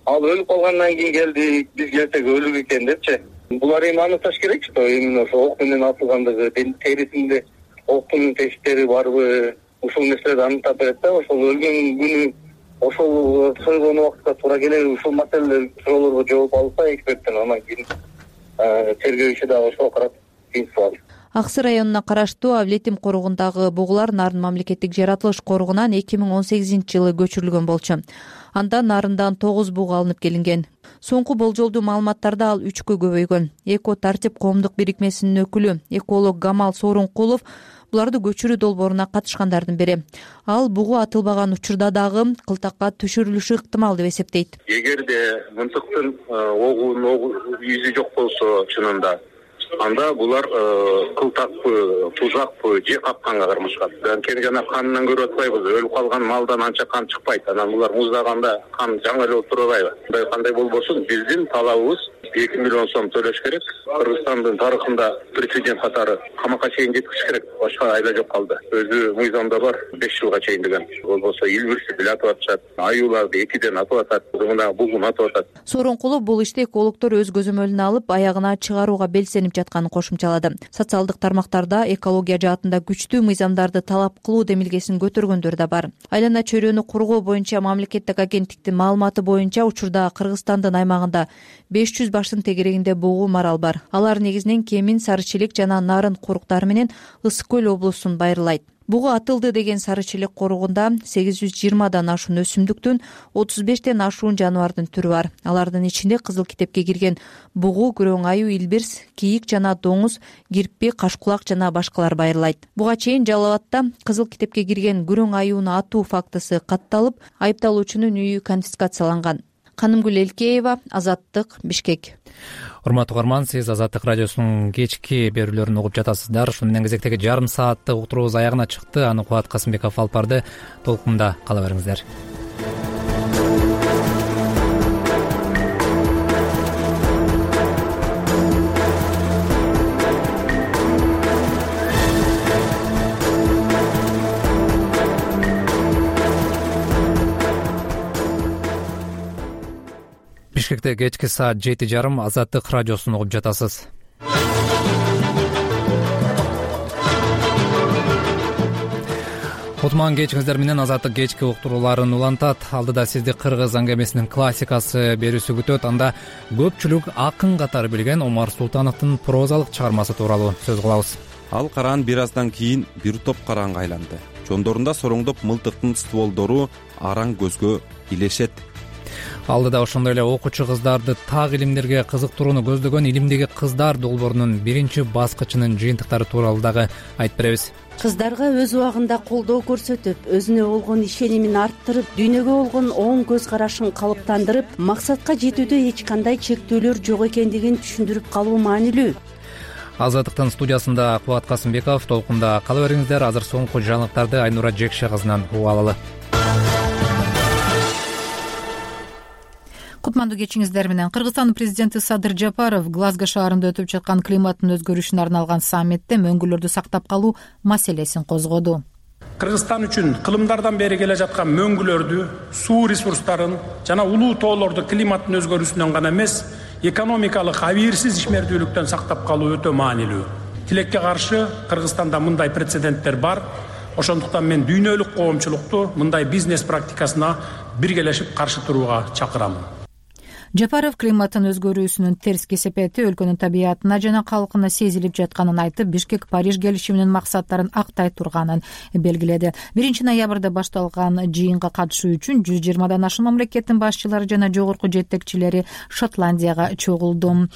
Ал өлүп калгандан кийин келди, биз келсек өлүк экен депчи. Булар эми аныкташ керек, что именно ошо ок менен атылгандыгы, терисинде октун тесттери барбы, ушул нерселерди аныктап берет да. Ошол өлгөн күнү, ошол сойгон убакытка туура келеби, ушул маселелер суроолорго жооп алса эксперттен, анан кийин тергөө иши дагы ошого карап принцип алат. Ак Суу районуна караштуу Авлетим коргоонундагы бугулар Нарын мамлекеттик жаратылыш коргоонунан 2018 жылы көчүрүлгөн болчу. Анда Нарындан 9 бугу алынып келинген. Соңку болжолдуу маалыматтарда ал 3кө көбөйгөн. Эко тартип коомдук бирикмесинин өкүлү, эколог Гамал Сооронкулов буларды көчүрүү долбооруна катышкандардын бири. Ал бугу атылбаган учурда дагы кылтакка түшүрүлүшү ыктымал деп эсептейт. Эгерде мынтыктын огунун изи жок болсо чынында, анда булар кылтакпы, тузакпы, же капканга кармашкан. Анткени жана канынан көрүп атпайбыз, өлүп калган малдан анча кан чыкпайт. Анан булар муздаганда кан жаңы эле отурбайбы? Кандай болбосун, биздин талабыбыз 2 миллион сом төлөш керек. Кыргызстандын тарыхында прецедент катары камакка чейин жеткизиш керек. Башка айла жок калды. Өзү мыйзамда бар 5 жылга чейин деген. Болбосо илбирси бил атып атышат, аюуларды 2ден атып атат, мына бугун атып атат. Сооронкулов бул ишти экологдор өз көзөмөлүнө алып, аягына чыгарууга белсенип жатканын кошумчалады. Социалдык тармактарда экология жаатында күчтүү мыйзамдарды талап кылуу демилгесин көтөргөндөр да бар. Айлана чөйрөнү коргоо боюнча мамлекеттик агенттиктин маалыматы боюнча учурда Кыргызстандын аймагында 500 баштын тегерегинде бугу марал бар. Алар негизинен Кемин, Сары Челек жана Нарын коруктары менен Ысык көл облусун байырлайт. Бугу атылды деген сары челек коругунда 820дан ашуун өсүмдүктүн 35тен ашуун жаныбардын түрү бар. Алардын ичинде кызыл китепке кирген бугу, күрөң аюу, илбирс, кийик жана доңуз, кирпи, кашкулак жана башкалар байырылайт. Буга чейин Жалал Абадта кызыл китепке кирген күрөң аюуну атуу фактысы катталып, айыпталуучунун үйү конфискацияланган. Канымгүл Элкеева, Азаттык, Бишкек. Урматтуу угарман, сиз Азаттык радиосунун кечки берүүлөрүн угуп жатасыздар. Ушуну менен кезектеги жарым сааттык уктуруубуз аягына чыкты. Аны Кубат Касымбеков алып барды. Толкунда кала бериңиздер. Бишкекте кечки саат 7:30 Азаттык радиосун угуп жатасыз. Кутман кечиңиздер менен Азаттык кечки уктурууларын улантат. Алдыда сизди кыргыз аңгемесинин классикасы берүүсү күтөт. Анда көпчүлүк акын катары билген Омар Султановдун прозалык чыгармасы тууралуу сөз кылабыз. Ал караан бир аздан кийин бир топ караанга айланды. Жондорунда сороңдоп мылтыктын стволдору араң көзгө илешет. Алдыда ошондой эле окуучу кыздарды так илимдерге кызыктырууну көздөгөн Илимдеги кыздар долбоорунун биринчи баскычынын жыйынтыктары тууралуу дагы айтып беребиз. Кыздарга өз убагында колдоо көрсөтүп, өзүнө болгон ишенимин арттырып, дүйнөгө болгон оң көз карашын калыптандырып, максатка жетүүдө эч кандай чектөөлөр жок экендигин түшүндүрүп калуу маанилүү. Азаттыктын студиясында Кубат Касымбеков. Толкунда кала бериңиздер. Азыр соңку жаңылыктарды Айнура Жекше кызынан угуп алалы. Кутмандуу кечиңиздер менен. Кыргызстандын президенти Садыр Жапаров Глазго шаарында өтүп жаткан климаттын өзгөрүшүнө арналган саммитте мөңгүлөрдү сактап калуу маселесин козгоду. Кыргызстан үчүн кылымдардан бери келе жаткан мөңгүлөрдү, суу ресурстарын жана улуу тоолорду климаттын өзгөрүүсүнөн гана эмес, экономикалык абийирсиз ишмердүүлүктөн сактап калуу өтө маанилүү. Тилекке каршы Кыргызстанда мындай прецеденттер бар. Ошондуктан мен дүйнөлүк коомчулукту мындай бизнес практикасына биргелешип каршы турууга чакырамын. Жапаров климаттын өзгөрүүсүнүн терс кесепети өлкөнүн табиятына жана калкына сезилип жатканын айтып, Бишкек Париж келишиминин максаттарын актай турганын белгиледи. 1-ноябрда башталган жыйынга катышуу үчүн 120дан ашуун мамлекеттин башчылары жана жогорку жетекчилери Шотландияга чогулду.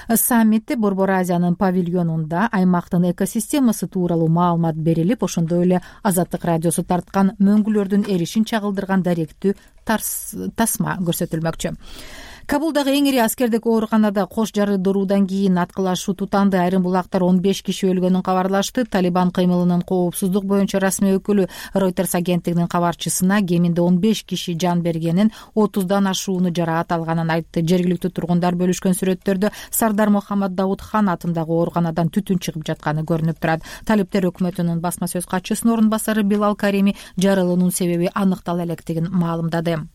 Саммитте Борбор Азиянын павильонунда аймактын экосистемасы тууралуу маалымат берилип, ошондой эле Азаттык радиосу тарткан мөңгүлөрдүн эришин чагылдырган даректүү тасма көрсөтүлмөкчү. Кабулдагы эң ири аскердик ооруканада кош жарыдыруудан кийин аткылашуу тутанды. Айрым булактар 15 киши өлгөнүн кабарлашты. Талибан кыймылынын коопсуздук боюнча расмий өкүлү Reuters агенттигинин кабарчысына кеминде 15 киши жан бергенин, 30дан ашууну жараат алганын айтты. Жергиликтүү тургундар бөлүшкөн сүрөттөрдө Сардар Мухаммад Даудхан атындагы ооруканадан түтүн чыгып жатканы көрүнүп турат. Талиптер өкмөтүнүн басма сөз катчысынын орун басары Билал Карими жарылуунун себеби аныктала электигин маалымдады.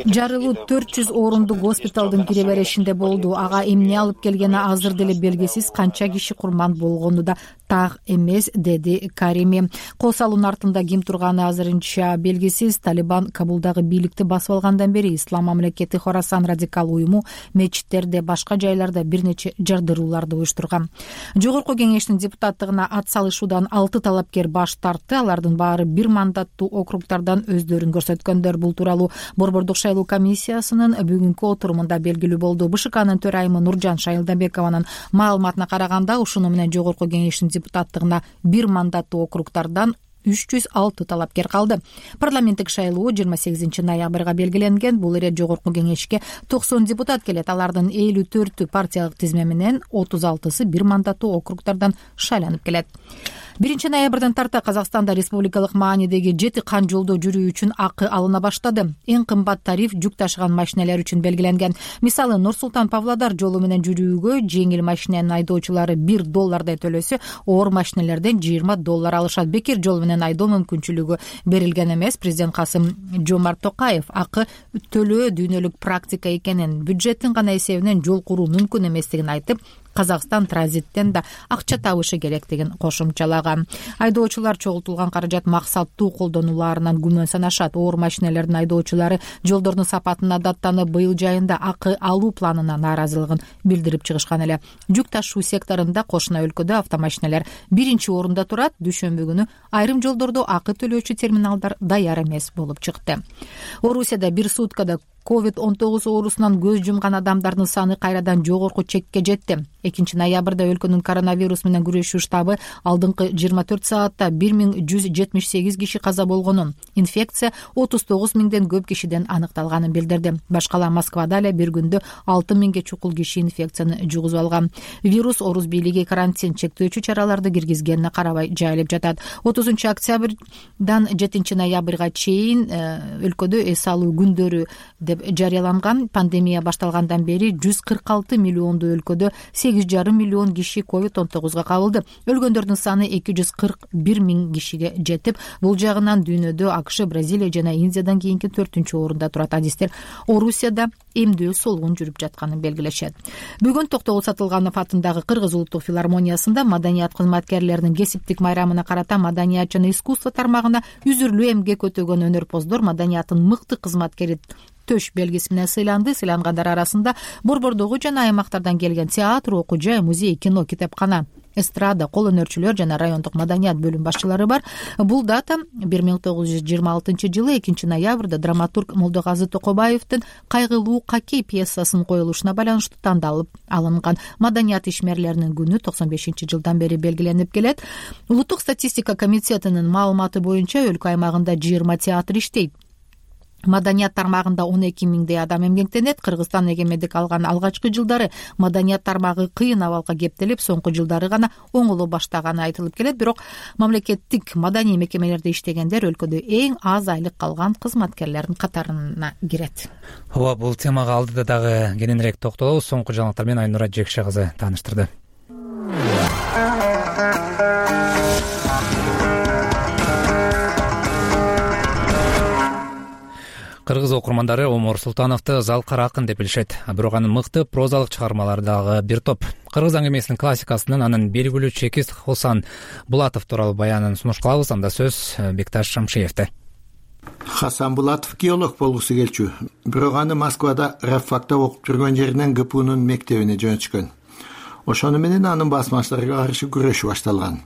Жарылуу 400 орундук госпиталдын кире беришинде болду. Ага эмне алып келгени азыр деле белгисиз, канча киши курман болгону да так эмес, деди Карими. Кол салуунун артында ким турганы азырынча белгисиз. Талибан Кабулдагы бийликти басып алгандан бери Ислам мамлекети Хорасан радикал уюму мечиттерде, башка жайларда бир нече жардырууларды уюштурган. Жогорку кеңештин депутаттыгына ат салышуудан 6 талапкер баш тартты. Алардын баары бир мандаттуу округтардан өздөрүн көрсөткөндөр. Бул тууралуу Борбордук шайлоо комиссиясынын бүгүнкү отурумунда белгилүү болду. БШКнын төрайымы Нуржан Шайылдабекованын маалыматына караганда, ушуну менен жогорку кеңештин депутаттыгына бир мандаттуу округтардан 306 талапкер калды. Парламенттик шайлоо 28 ноябрга белгиленген. Бул эре жогорку кеңешке 90 депутат келет. Алардын 54-ү партиялык тизме менен, 36-сы бир мандаттуу округтардан шайланып келет. 1 ноябрдан тарта Казакстанда республикалык маанидеги 7 кан жолдо жүрүү үчүн акы алына баштады. Эң кымбат тариф жүк ташыган машинелер үчүн белгиленген. Мисалы, Нур-Султан Павлодар жолу менен жүрүүгө жеңил машиненин айдоочулары $1 төлөсө, оор машинелерден $20 алышат. Бекер жол менен айдоо мүмкүнчүлүгү берилген эмес. Президент Касым Жомарт Токаев акы төлөө дүйнөлүк практика экенин, бюджеттин гана эсебинен жол куруу мүмкүн эместигин айтып, Казакстан транзиттен да акча табышы керек деген кошумчалаган. Айдоочулар чогултулган каражат максаттуу колдонуларынан күмөн санашат. Оор машиналардын айдоочулары жолдордун сапатын адаттанып, быйыл жайында акы алуу планына нааразылыгын билдирип чыгышкан эле. Жүк ташуу секторунда кошуна өлкөдө автомашиналар 1-орунда турат. Дүйшөмбү күнү айрым жолдордо акы төлөөчү терминалдар даяр эмес болуп чыкты. Орусияда бир суткада COVID-19 оорусунан көз жумган адамдардын саны кайрадан жогорку чекке жетти. 2-ноябрда өлкөнүн коронавирус менен күрөшүү штабы алдыңкы 24 саатта 1178 киши каза болгонун, инфекция 39 миңден көп кишиден аныкталганын билдирди. Башкала Москвада эле бир күндө 6 миңге чукул киши инфекцияны жугузуп алган. Вирус орус бийлиги карантин чектөөчү чараларды киргизгенине карабай жайылып жатат. 30 октябрдан 7 ноябрга чейин өлкөдө эс алуу күндөрү деп жарыяланган. Пандемия башталгандан бери 146 миллионду өлкөдө 8,5 миллион киши COVID-19 кабылды. Өлгөндөрдүн саны 241 миң кишиге жетип, бул жагынан дүйнөдө АКШ, Бразилия жана Индиядан кийинки 4-орунда турат. Адистер Орусияда эмдөө солгун жүрүп жатканын белгилешет. Бүгүн Токтогул Сатылганов атындагы Кыргыз улуттук филармониясында маданият кызматкерлеринин кесиптик майрамына карата маданият жана искусство тармагына үзүрлүү эмгек өтөгөн өнөрпоздор маданияттын мыкты кызматкери төш белгиси менен сыйланды. Сыйлангандар арасында борбордогу жана аймактардан келген театр, окуу жай, музей, кино, китепкана, эстрада, кол өнөрчүлөр жана райондук маданият бөлүм башчылары бар. Бул дата 1926 жылы 2 ноябрда драматург Молдоказы Токобаевдин кайгылуу Какей пьесасынын коюлушуна байланыштуу тандалып алынган. Маданият ишмерлеринин күнү 95-жылдан бери белгиленип келет. Улуттук статистика комитетинин маалыматы боюнча өлкө аймагында 20 театр иштейт. Маданият тармагында 12 миңдей адам эмгектенет. Кыргызстан эгемендик алган алгачкы жылдары маданият тармагы кыйын абалга кептелип, соңку жылдары гана оңоло баштаганы айтылып келет. Бирок мамлекеттик маданий мекемелерде иштегендер өлкөдө эң аз айлык алган кызматкерлердин катарына кирет. Ооба, бул темага алдыда дагы кененирээк токтолобуз. Соңку жаңылыктар менен Айнура Жекше кызы тааныштырды. Кыргыз окурмандары Омор Султановду залкар акын деп билишет. Бирок анын мыкты прозалык чыгармалары дагы бир топ. Кыргыз аңгемесинин классикасынын анын белгилүү чекист Хосан Булатов тууралуу баянын сунуш кылабыз. Анда сөз Бекташ Шамшиевде. Хасан Булатов геолог болгусу келчү. Бирок аны Москвада рабфакта окуп жүргөн жеринен ГПУнун мектебине жөнөтүшкөн. Ошону менен анын басмачыларга каршы күрөшү башталган.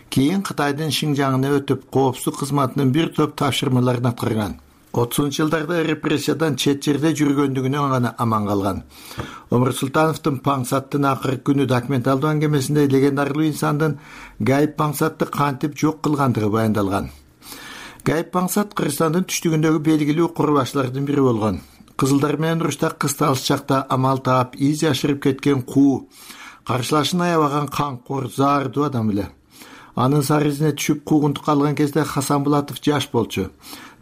Кийин Кытайдын Шинжаңына өтүп, коопсуздук кызматынын бир топ тапшырмаларын аткарган. 30-жылдарда репрессиядан чет жерде жүргөндүгүнөн гана аман калган. Омур Султановдун Паңсаттын акыркы күнү документалдуу аңгемесинде легендарлуу инсандын Гайып Паңсатты кантип жок кылгандыгы баяндалган. Гайып Паңсат Кыргызстандын түштүгүндөгү белгилүү курбашчылардын бири болгон. Кызылдар менен урушта кысталыш чакта амал таап из жашырып кеткен куу, каршылашын аябаган камкор, заардуу адам эле. Анын сары изине түшүп куугунтукка алган кезде Хасан Булатов жаш болчу.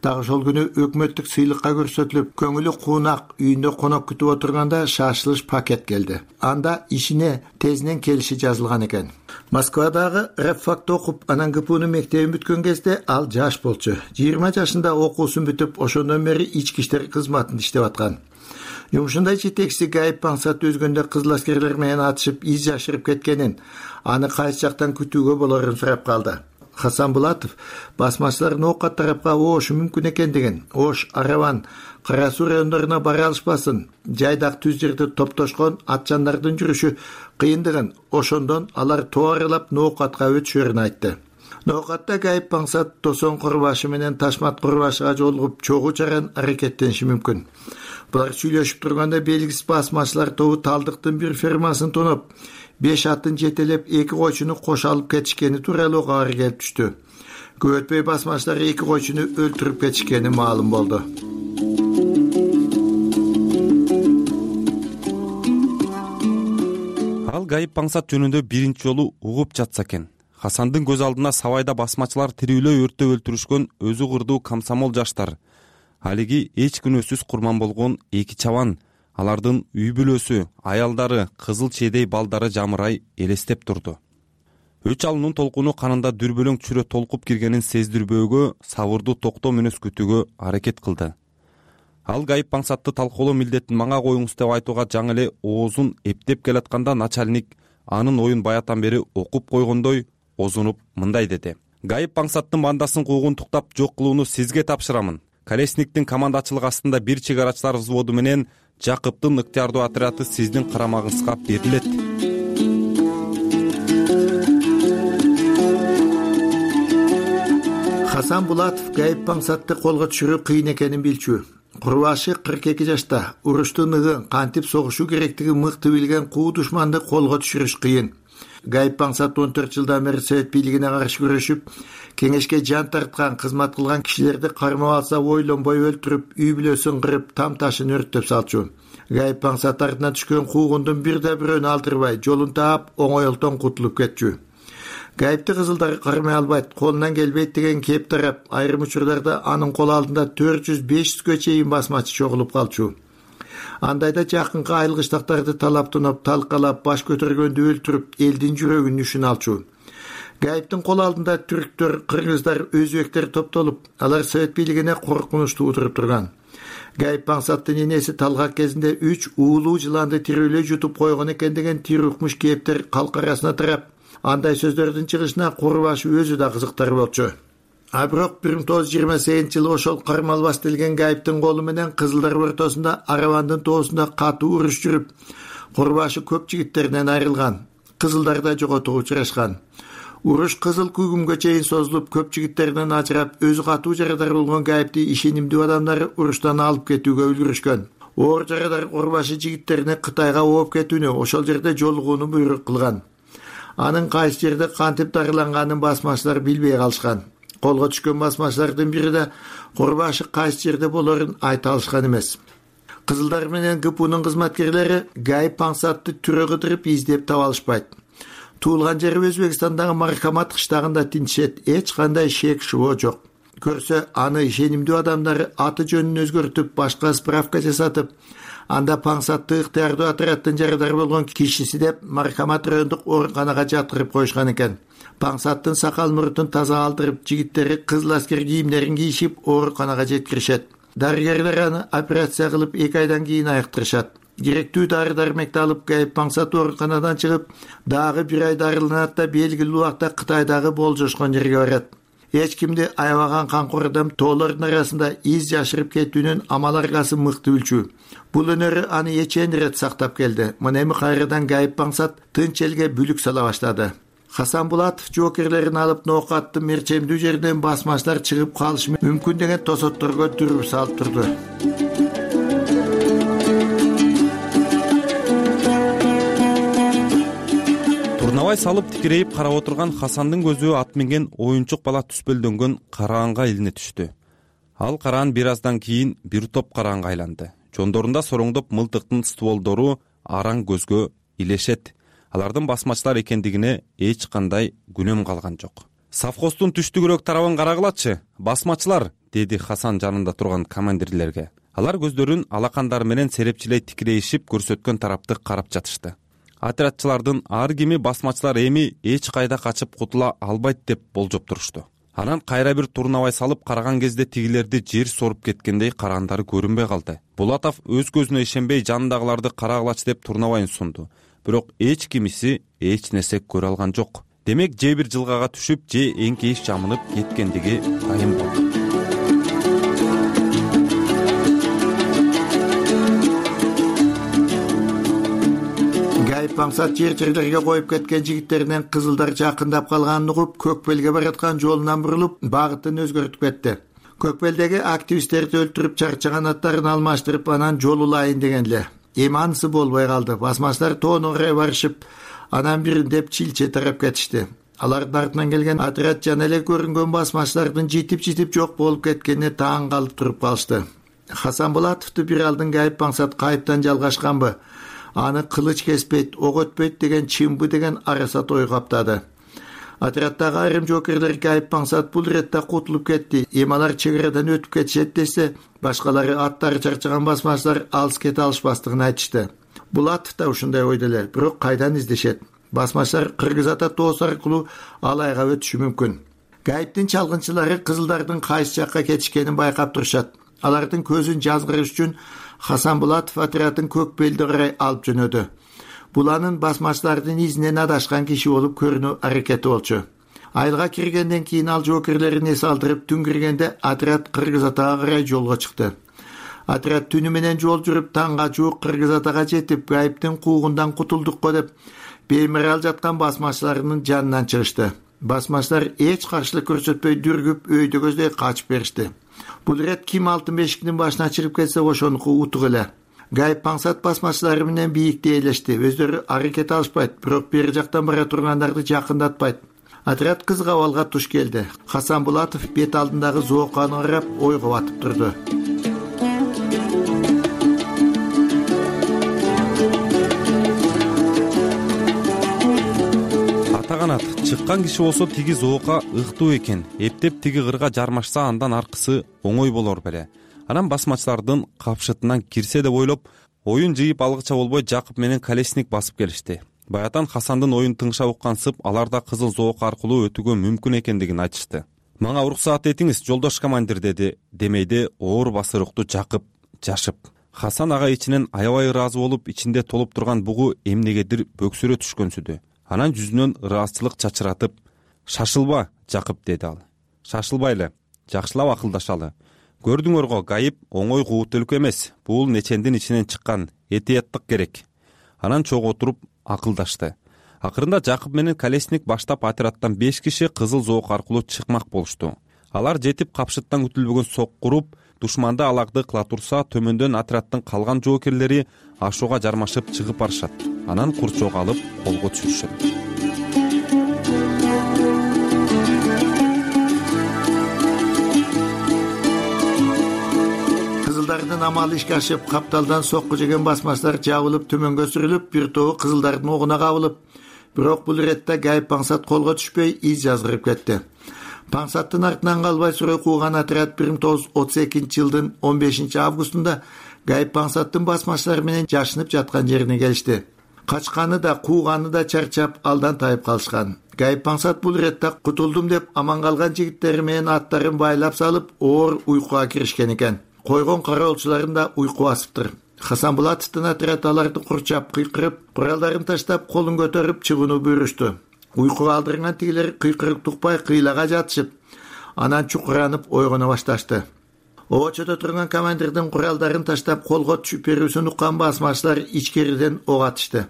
Дагы ошол күнү өкмөттүк сыйлыкка көрсөтүлүп, көңүлү куунак үйүндө конок күтүп отурганда шашылыш пакет келди. Анда ишине тезинен келиши жазылган экен. Москвадагы рабфакта окуп, анан ГПУнун мектебин бүткөн кезде ал жаш болчу. 20 жашында окуусун бүтүп, ошондон бери ички иштер кызматында иштеп аткан. Жумушунда жетекчиси Гайып Паңсат өзгөндө кызыл аскерлер менен атышып из жашырып кеткенин, аны кайсы жактан күтүүгө болорун сурап калды. Хасан Булатов басмачылардын Ока тарапка оошу мүмкүн экендигин, Ош, Араван, Кара Суу райондоруна бара алышпасын, жайдак түз жерде топтошкон атчандардын жүрүшү кыйындыгын, ошондон алар тоо аралап Ноокатка өтүшөрүн айтты. Ноокатта Гайып Паңсат Тосон курбашы менен Ташмат курбашыга жолугуп чогуу чаран аракеттениши мүмкүн. Булар сүйлөшүп турганда белгисиз басмачылар тобу Талдыктын бир фермасын тоноп, 5 атын жетелеп 2 койчуну кош алып кетишкени тууралуу кабар келип түштү. Көп өтпөй басмачылар 2 койчуну өлтүрүп кетишкени маалым болду. Ал Гайып Паңсат жөнүндө биринчи жолу угуп жатса экен. Хасандын көз алдына Сабайда басмачылар тирүүлөй өрттөп өлтүрүшкөн өзү кырдуу комсомол жаштар. Алиги эч күнөөсүз курман болгон 2 чабан, алардын үй бүлөсү, аялдары, кызыл чейдей балдары жамырай элестеп турду. Өч алуунун толкуну канында дүрбөлөң чүрө толкуп киргенин сездирбөөгө, сабырдуу токтоо мүнөз күтүүгө аракет кылды. Ал Гайып Паңсатты талкуулоо милдетин мага коюңуз деп айтууга жаңы эле оозун эптеп келатканда начальник анын оюн баятан бери окуп койгондой озунуп мындай деди: гайып маңсаттын бандасын куугунтуктап жок кылууну сизге тапшырамын. Колесниктин командачылыгы астында бир чыгарачылар взводу менен Жакыптын ыктыярдуу отряды сиздин карамагыңызга берилет. Хасан Булатов гайып маңсатты колго түшүрүү кыйын экенин билчү. Курбашы 42 жашта. Уруштун ыгын кантип согушу керектигин мыкты билген куу душманды колго түшүрүш кыйын. Гайып маңсат 14 жылдан бери Совет бийлигине каршы күрөшүп, кеңешке жан тарткан, кызмат кылган кишилерди кармап алса ойлонбой өлтүрүп, үй бүлөсүн кырып, там ташын өрттөп салчу. Гайып маңсат артынан түшкөн куугундун бирде бирөөнү алдырбай, жолун таап, оңойлтон кутулуп кетчү. Гайыпты кызылдар кармай албайт, колунан келбейт деген кеп тарап, айрым учурларда анын кол алдында 400-500гө чейин басмачы чогулуп калчу. Андайда жакынкы айылгычтактарды талап тунуп, талкалап, баш көтөргөндү өлтүрүп, элдин жүрөгүн нүшүн алчу. Гайыптын кол алдында түрктөр, кыргыздар, өзбектер топтолуп, алар Совет бийлигине коркунуч туудуруп турган. Гайып маңсаттын энеси талгак кезинде 3 уулуу жыланды тирүүлөй жутуп койгон экен деген тирүкмүш кептер калк арасына тарап, андай сөздөрдүн чыгышына Курбашы өзү да кызыктар болчу. А бирок 1928-жылы ошол кармалбас делген Гайыптын колу менен кызылдар ортосунда Аравандын тоосунда катуу уруш жүрүп, Курбашы көп жигиттеринен айрылган, кызылдар да жоготууга учурашкан. Уруш кызыл күгүмгө чейин созулуп, көп жигиттеринен ажырап, өзү катуу жарадар болгон Гайыпты ишенимдүү адамдары уруштан алып кетүүгө үлгүрүшкөн. Оор жарадар Курбашы жигиттерине Кытайга ооп кетүүнү, ошол жерде жолугууну буйрук кылган. Анын кайсы жерде кантип дарыланганын басмачылар билбей калышкан. Колго түшкөн басмачылардын бири да Курбашы кайсы жерде болорун айта алышкан эмес. Кызылдар менен ГПУнун кызматкерлери Гайып маңсатты түрө кыдырып издеп таба алышпайт. Туулган жери Өзбекстандагы Мархамат кыштагында тинчет, эч кандай шек шубо жок. Көрсө аны ишенимдүү адамдары аты жөнүн өзгөртүп, башка справка жасатып, анда маңсатты ыктыярдуу отрядтын жарадар болгон кишиси деп Мархамат райондук ооруканага жаткырып коюшкан экен. Маңсаттын сакал мурутун таза алдырып, жигиттери кызыл аскер кийимдерин кийишип ооруканага жеткиришет. Дарыгерлер аны операция кылып 2 айдан кийин айыктырышат. Керектүү дары-дармекти алып, Гайып маңсат ооруканадан чыгып, дагы 1 ай дарыланат да белгилүү убакта Кытайдагы болжошкон жерге барат. Эч кимди аябаган камкор адам тоолордун арасында из жашырып кетүүнүн амал аргасын мыкты билчү. Бул өнөрү аны эчен ирет сактап келди. Мына эми кайрадан Гайып маңсат тынч элге бүлүк сала баштады. Хасан Булатов жоокерлерин алып ноокаттын мерчемдүү жеринен басмачылар чыгып калышы мүмкүн деген тосотторго дүрүп салып турду. Турнабай салып тикирейип карап отурган Хасандын көзү ат минген оюнчук бала түспөлдөнгөн караанга илине түштү. Ал караан бир аздан кийин бир топ караанга айланды. Жондорунда сороңдоп мылтыктын стволдору араң көзгө илешет. Алардын басмачылар экендигине эч кандай күнөм калган жок. Совхоздун түштүгүрөөк тарабын карагылачы, басмачылар, деди Хасан жанында турган командирлерге. Алар көздөрүн алакандары менен серепчилей тикирейишип көрсөткөн тарапты карап жатышты. Отрядчылардын ар кими басмачылар эми эч кайда качып кутула албайт деп болжоп турушту. Анан кайра бир турнабай салып караган кезде тигилерди жер соруп кеткендей караандары көрүнбөй калды. Булатов өз көзүнө ишенбей жанындагыларды карагылачы деп турнабайын сунду. Бирок эч кимиси эч нерсе көрө алган жок. Демек же бир жылгага түшүп, же эңкейиш жамынып кеткендиги дайым болду. Гайып маңсат жер-жерлерге коюп кеткен жигиттеринен кызылдар жакындап калганын угуп, Көкбелге бараткан жолунан бурулуп, багытын өзгөртүп кетти. Көкбелдеги активисттерди өлтүрүп чарчаган аттарын алмаштырып, анан жол улайын деген эле. Эми анысы болбой калды. Басмачылар тоону карай барышып, анан бириндеп Чилче тарап кетишти. Алардын артынан келген отряд жана эле көрүнгөн басмачылардын житип жок болуп кеткенине таң калып туруп калышты. Хасан Булатовду бир алдын Гайып маңсат кайыптан жалгашканбы, аны кылыч кеспейт, ок өтпөйт деген чынбы деген арасат ой каптады. Отряддагы айрым жоокерлер Гайып маңсат бул иретте кутулуп кетти. Эми алар чек-арадан өтүп кетишет десе, башкалары аттары чарчаган басмачылар алыс кете алышпастыгын айтышты. Булатов да ушундай ойдо эле, бирок кайдан издешет? Басмачылар Кыргыз ата тоосу аркылуу Алайга өтүшү мүмкүн. Гайыптын чалгынчылары кызылдардын кайсы жакка кетишкенин байкап турушат. Алардын көзүн жазгырыш үчүн Хасан Булатов отрядын Көкбелди карай алып жөнөдү. Бул анын басмачылардын изинен адашкан киши болуп көрүнүү аракети болчу. Айылга киргенден кийин ал жоокерлерин эс алдырып, түн киргенде отряд Кыргыз Атага карай жолго чыкты. Отряд түнү менен жол жүрүп, таңга жуук Кыргыз Атага жетип, гайыптын куугундан кутулдукко деп беймарал жаткан басмачыларынын жанынан чыгышты. Басмачылар эч каршылык көрсөтпөй дүргүп, өйдөгөздөй качып беришти. Бул ирет ким алтын бешиктин башына чыгып кетсе ошонуку утук эле. Гайып Паңсат басмачылары менен бийикте ээлешти. Өздөрү аракет алышпайт, бирок бери жактан бара тургандарды жакындатпайт. Отряд кызга абалга туш келди. Хасан Булатов бет алдындагы зооканы карап ойго батып турду. Атаганат чыккан киши болсо тиги зоока ыктуу экен. Эптеп тиги кырга жармашса андан аркысы оңой болор беле. Анан басмачылардын капшытынан кирсе деп ойлоп, оюн жыйып алгыча болбой Жакып менен Колесник басып келишти. Баятан Хасандын оюн тыңша уккансып, алар да кызыл зоок аркылуу өтүүгө мүмкүн экендигин айтышты. Мага уруксаат этиңиз, жолдош командир, деди демейде оор басырыктуу Жакып жашып. Хасан ага ичинен аябай ыраазы болуп, ичинде толуп турган бугу эмнегедир бөксүрө түшкөнсүдү. Анан жүзүнөн ыраазычылык чачыратып, "Шашылба, Жакып", деди ал. "Шашылбайлы, жакшылап акылдашалы. Көрдүңөр го, гайып оңой куут өлкө эмес. Бул нечендин ичинен чыккан, этияттык керек." Анан чогуу отуруп акылдашты. Акырында Жакып менен Колесник баштап отрядтан 5 киши кызыл зоок аркылуу чыкмак болушту. Алар жетип капшыттан күтүлбөгөн сок куруп, душманды аларды кыла турса, төмөндөн отряддын калган жоокерлери ашууга жармашып чыгып барышат. Анан курчоого алып колго түшүрүшөт. Кызылдардын амалы ишке ашып, капталдан сокку жеген басмачылар жабылып төмөнгө сүрүлүп, бир тобу кызылдардын огуна кабылып, бирок бул иретте Гайып Паңсат колго түшпөй из жазгырып кетти. Паңсаттын артынан калбай сурой кууган отряд 1932-жылдын 15-августунда Гайып Паңсаттын басмачылары менен жашынып жаткан жерине келишти. Качканы да, кууганы да чарчап, алдан тайып калышкан. Гайып Паңсат бул иретте кутулдум деп аман калган жигиттери менен аттарын байлап салып, оор уйкуга киришкен экен. Койгон кароолчуларын да уйку басыптыр. Хасан Булатовдун отряд аларды курчап, кыйкырып, куралдарын таштап, колун көтөрүп чыгууну буйрушту. Уйкуга алдырган тигилер кыйкырып тукпай кыйлага жатышып, анан чукуранып ойгоно башташты. Обочодо турган командирдин куралдарын таштап колго түшүп берүүсүн уккан басмачылар ичкериден ок атышты.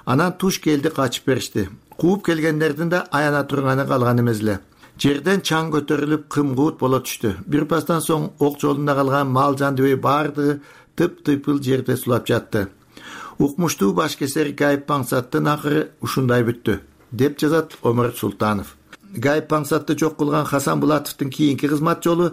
Анан туш келди, качып беришти. Кууп келгендердин да аяна турганы калган эмес эле. Жерден чаң көтөрүлүп кымкуут боло түштү. Бир пастан соң ок жолунда калган мал жандыбай баардыгы тып-тыйпыл жерде сулап жатты. Укмуштуу башкесер Гайып Паңсаттын акыры ушундай бүттү, деп жазат Омар Султанов. Гайып Паңсатты жок кылган Хасан Булатовдун кийинки кызмат жолу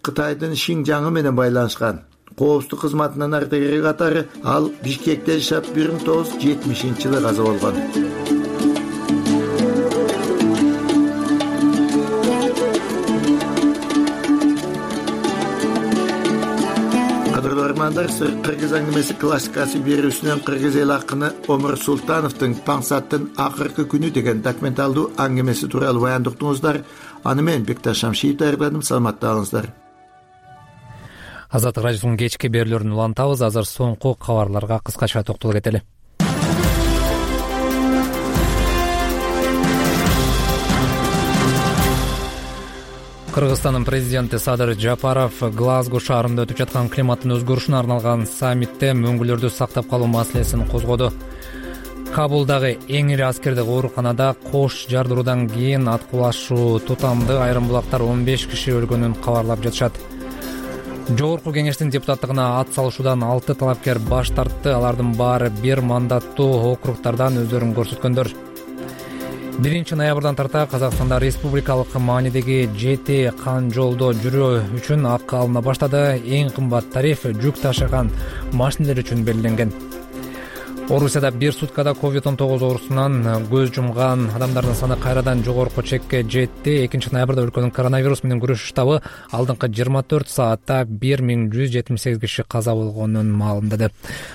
Кытайдын Шинжаңы менен байланышкан. Коопсуздук кызматынын ардагери катары ал Бишкекте жашап 1970-жылы каза болгон. Кыргыз аңгемеси классикасы берүүсүнөн кыргыз эл акыны Омар Султановдун Паңсаттын акыркы күнү деген документалдуу аңгемеси тууралуу баяндыктыңыздар. Аны мен Бекташ Шамшиев даярдадым. Саламатта калыңыздар. Азаттык радиосунун кечки берүүлөрүн улантабыз. Азыр соңку кабарларга кыскача токтоло кетели. Кыргызстандын президенти Садыр Жапаров Глазго шаарында өтүп жаткан климаттын өзгөрүшүнө арналган саммитте мөңгүлөрдү сактап калуу маселесин козгоду. Кабулдагы эң ири аскердик ооруканада кош жардыруудан кийин аткылашуу тутамды айрым булактар 15 киши өлгөнүн кабарлап жатышат. Жогорку кеңештин депутаттыгына ат салышуудан 6 талапкер баш тартты. Алардын баары бир мандаттуу округдардан өздөрүн көрсөткөндөр. 1 ноябрдан тарта Казакстанда республикалык маанидеги 7 кан жолдо жүрүү үчүн акы алына баштады. Эң кымбат тариф жүк ташыган машинелер үчүн белгиленген. Орусияда бир суткада COVID-19 оорусунан көз жумган адамдардын саны кайрадан жогорку чекке жетти. 2 ноябрда өлкөнүн коронавирус менен күрөшүү штабы алдыңкы 24 саатта 1178 киши каза болгонун маалымдады.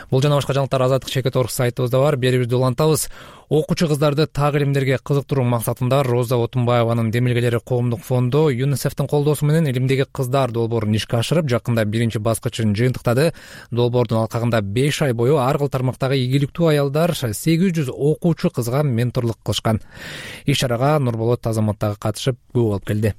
Бул жана башка жаңылыктар Азаттык чекит орг сайтыбызда бар. Берүүбүздү улантабыз. Окуучу кыздарды так илимдерге кызыктыруу максатында Роза Отунбаеванын демилгелери коомдук фонду ЮНИСЕФтин колдоосу менен илимдеги кыздар долбоорун ишке ашырып, жакында биринчи баскычын жыйынтыктады. Долбоордун алкагында 5 ай бою ар кыл тармактагы ийгиликтүү аялдар 800 окуучу кызга менторлук кылышкан. Иш-чарага Нурболот Азамат дагы катышып, күбө болуп келди.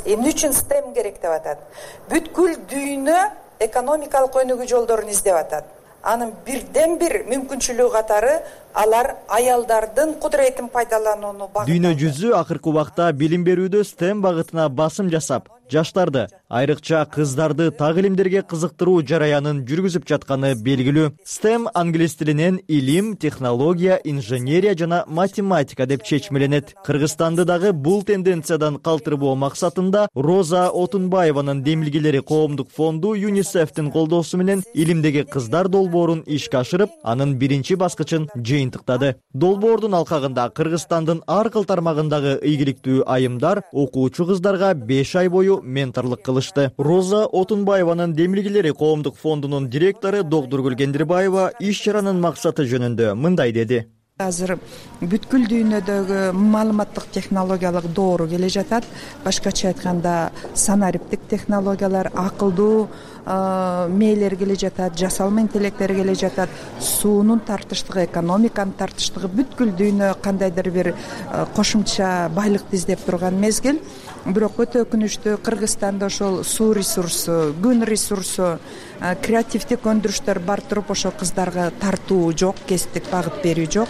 Эмне үчүн STEM керек деп атат? Бүткүл дүйнө экономикалык өнүгүү жолдорун издеп атат. Анын бирден бир мүмкүнчүлүгү катары алар аялдардын кудуретин пайдаланууну багыттаган. Дүйнө жүзү акыркы убакта билим берүүдө STEM багытына басым жасап, жаштарды, айрыкча кыздарды так илимдерге кызыктыруу жараянын жүргүзүп жатканы белгилүү. STEM англис тилинен илим, технология, инженерия жана математика деп чечмеленет. Кыргызстанды дагы бул тенденциядан калтырбоо максатында Роза Отунбаеванын демилгелери коомдук фонду ЮНИСЕФтин колдоосу менен илимдеги кыздар долбоорун ишке ашырып, анын биринчи баскычын жыйынтыктады. Долбоордун алкагында Кыргызстандын ар кыл тармагындагы ийгиликтүү айымдар окуучу кыздарга 5 ай бою менторлук кылышты. Роза Отунбаеванын демилгелери коомдук фондунун директору Догдургүл Кендирбаева иш-чаранын максаты жөнүндө мындай деди. Азыр бүткүл дүйнөдөгү маалыматтык технологиялык доору келе жатат. Башкача айтканда санариптик технологиялар, акылдуу мээлер келе жатат, жасалма интеллекттер келе жатат. Суунун тартыштыгы, экономиканын тартыштыгы, бүткүл дүйнө кандайдыр бир кошумча байлыкты издеп турган мезгил. Бирок өтө өкүнүчтүү, Кыргызстанда ошол суу ресурсу, күн ресурсу, креативдик өндүрүштөр бар туруп ошол кыздарга тартуу жок, кесиптик багыт берүү жок.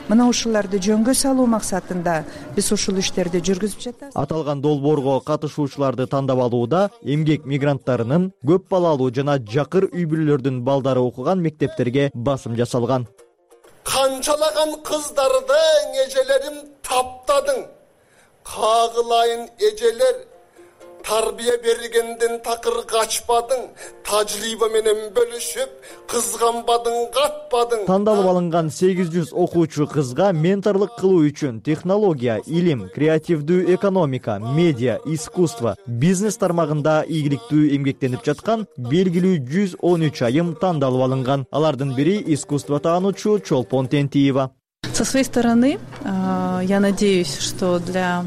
Мына ушуларды жөнгө салуу максатында биз ушул иштерди жүргүзүп жатабыз. Аталган долбоорго катышуучуларды тандап алууда эмгек мигранттарынын, көп балалуу жана жакыр үй бүлөлөрдүн балдары окуган мектептерге басым жасалган. Канчалаган кыздардың эжелерин таптадың. Кагылайын эжелер, тарбия бергенден такыр качпадың, тажрыйба менен бөлүшүп, кызганбадың, катпадың. Тандалып алынган 800 окуучу кызга менторлук кылуу үчүн технология, илим, креативдүү экономика, медиа, искусство, бизнес тармагында ийгиликтүү эмгектенип жаткан белгилүү 113 айым тандалып алынган. Алардын бири искусство таануучу Чолпон Тентиева. Со своей стороны, я надеюсь, что для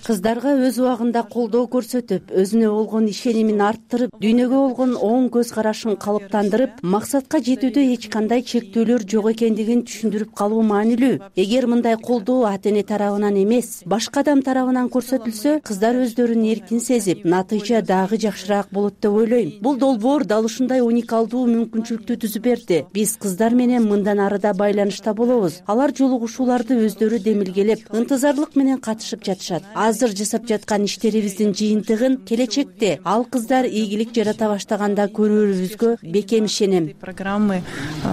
кыздарга өз убагында колдоо көрсөтүп, өзүнө болгон ишенимин арттырып, дүйнөгө болгон оң көз карашын калыптандырып, максатка жетүүдө эч кандай чектөөлөр жок экендигин түшүндүрүп калуу маанилүү. Эгер мындай колдоо ата-эне тарабынан эмес, башка адам тарабынан көрсөтүлсө, кыздар өздөрүн эркин сезип, натыйжа дагы жакшыраак болот деп ойлойм. Бул долбоор дал ушундай уникалдуу мүмкүнчүлүктү түзүп берди. Биз кыздар менен мындан ары да байланышта болобуз. Алар жолугушууларды өздөрү демилгелеп, ынтызарлык менен катышып жатышат. Азыр жасап жаткан иштерибиздин жыйынтыгын келечекте ал кыздар ийгилик жарата баштаганда көрүүбүзгө бекем ишенем. Программы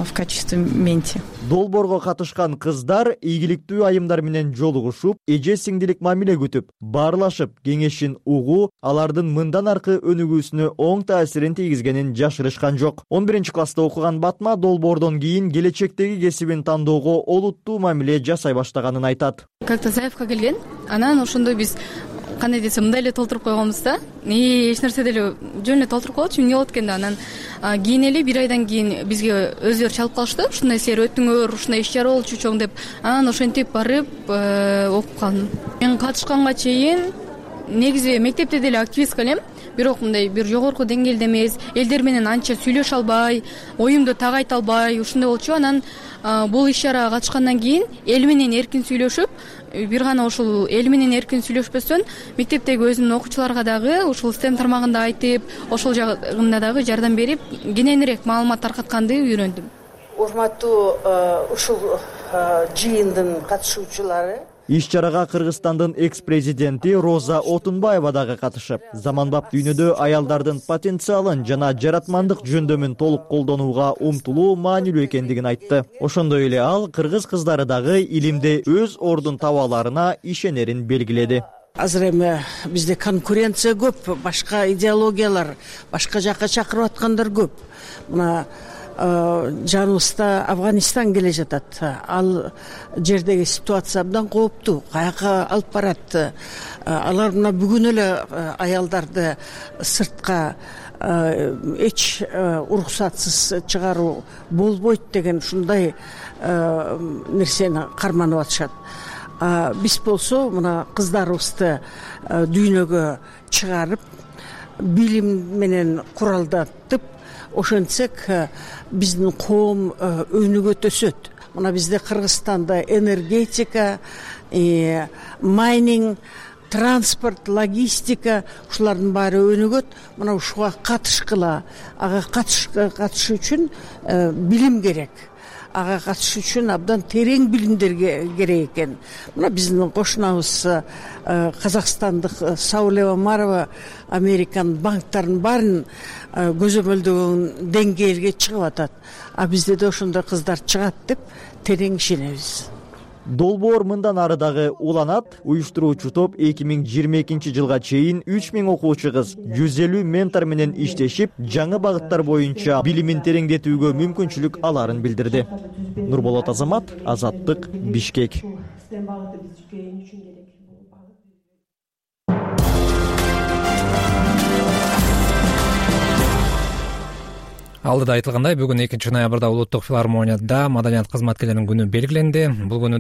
в качестве менти. Долбоорго катышкан кыздар ийгиликтүү айымдар менен жолугушуп, эже сиңдилик мамиле күтүп, баарлашып, кеңешин угуу, алардын мындан аркы өнүгүүсүнө оң таасирин тийгизгенин жашырышкан жок. 11-класста окуган Батма долбоордон кийин келечектеги кесибин тандоого олуттуу мамиле жасай баштаганын айтат. Как-то заявка келген, анан ошондой биз кандай десем мындай эле толтуруп койгонбуз да. Эч нерсе деле жөн эле толтуруп коелучу, эмне болот экен да. Анан кийин эле 1 айдан кийин бизге өздөрү чалып калышты. Ушундай силер өттүңөр, ушундай иш-чара болчу чоң деп. Анан ошентип барып окуп калдым. Мен катышканга чейин негизи мектепте деле активистка элем. Бирок мындай бир жогорку деңгээлде эмес, элдер менен анча сүйлөшө албай, оюмду так айта албай, ушундай болчу. Анан бул иш-чарага катышкандан кийин эл менен эркин сүйлөшүп, бир гана ушул эл менен эркин сүйлөшпөстөн мектептеги өзүмдүн окуучуларга дагы ушул STEM тармагында айтып, ошол жагында дагы жардам берип, кененирээк маалымат таркатканды үйрөндүм. Урматтуу ушул жыйындын катышуучулары, иш-чарага Кыргызстандын экс-президенти Роза Отунбаева дагы катышып, заманбап дүйнөдө аялдардын потенциалын жана жаратмандык жөндөмүн толук колдонууга умтулуу маанилүү экендигин айтты. Ошондой эле ал кыргыз кыздары дагы илимде өз ордун таба аларына ишенерин белгиледи. Азыр эми бизде конкуренция көп, башка идеологиялар, башка жакка чакырып аткандар көп. Мына жаныбызда Афганистан келе жатат. Ал жердеги ситуация абдан кооптуу. Каяка алып барат? Алар мына бүгүн эле аялдарды сыртка эч уруксатсыз чыгаруу болбойт деген ушундай нерсени карманып атышат. Биз болсо мына кыздарыбызды дүйнөгө чыгарып, билим менен куралдатып, ошентсек биздин коом өнүгөт, өсөт. Мына бизде Кыргызстанда энергетика, майнинг, транспорт, логистика ушулардын баары өнүгөт. Мына ушуга катышкыла, ага катышуу үчүн билим керек. Ага катышуу үчүн абдан терең билимдер керек экен. Мына биздин кошунабыз казакстандык Сауле Омарова Американ банктарын баарын көзөмөлдөгөн деңгээлге чыгып атат. А бизде да ошондой кыздар чыгат деп терең ишенебиз. Долбоор мындан ары дагы уланат. Уюштуруучу топ 2022 жылга чейин 3000 окуучу кыз 150 ментор менен иштешип, жаңы багыттар боюнча билимин тереңдетүүгө мүмкүнчүлүк аларын билдирди. Нурболот Азамат, Азаттык, Бишкек. Алдыда айтылгандай, бүгүн 2-ноябрда Улуттук филармонияда маданият кызматкерлеринин күнү белгиленди. Бул күнү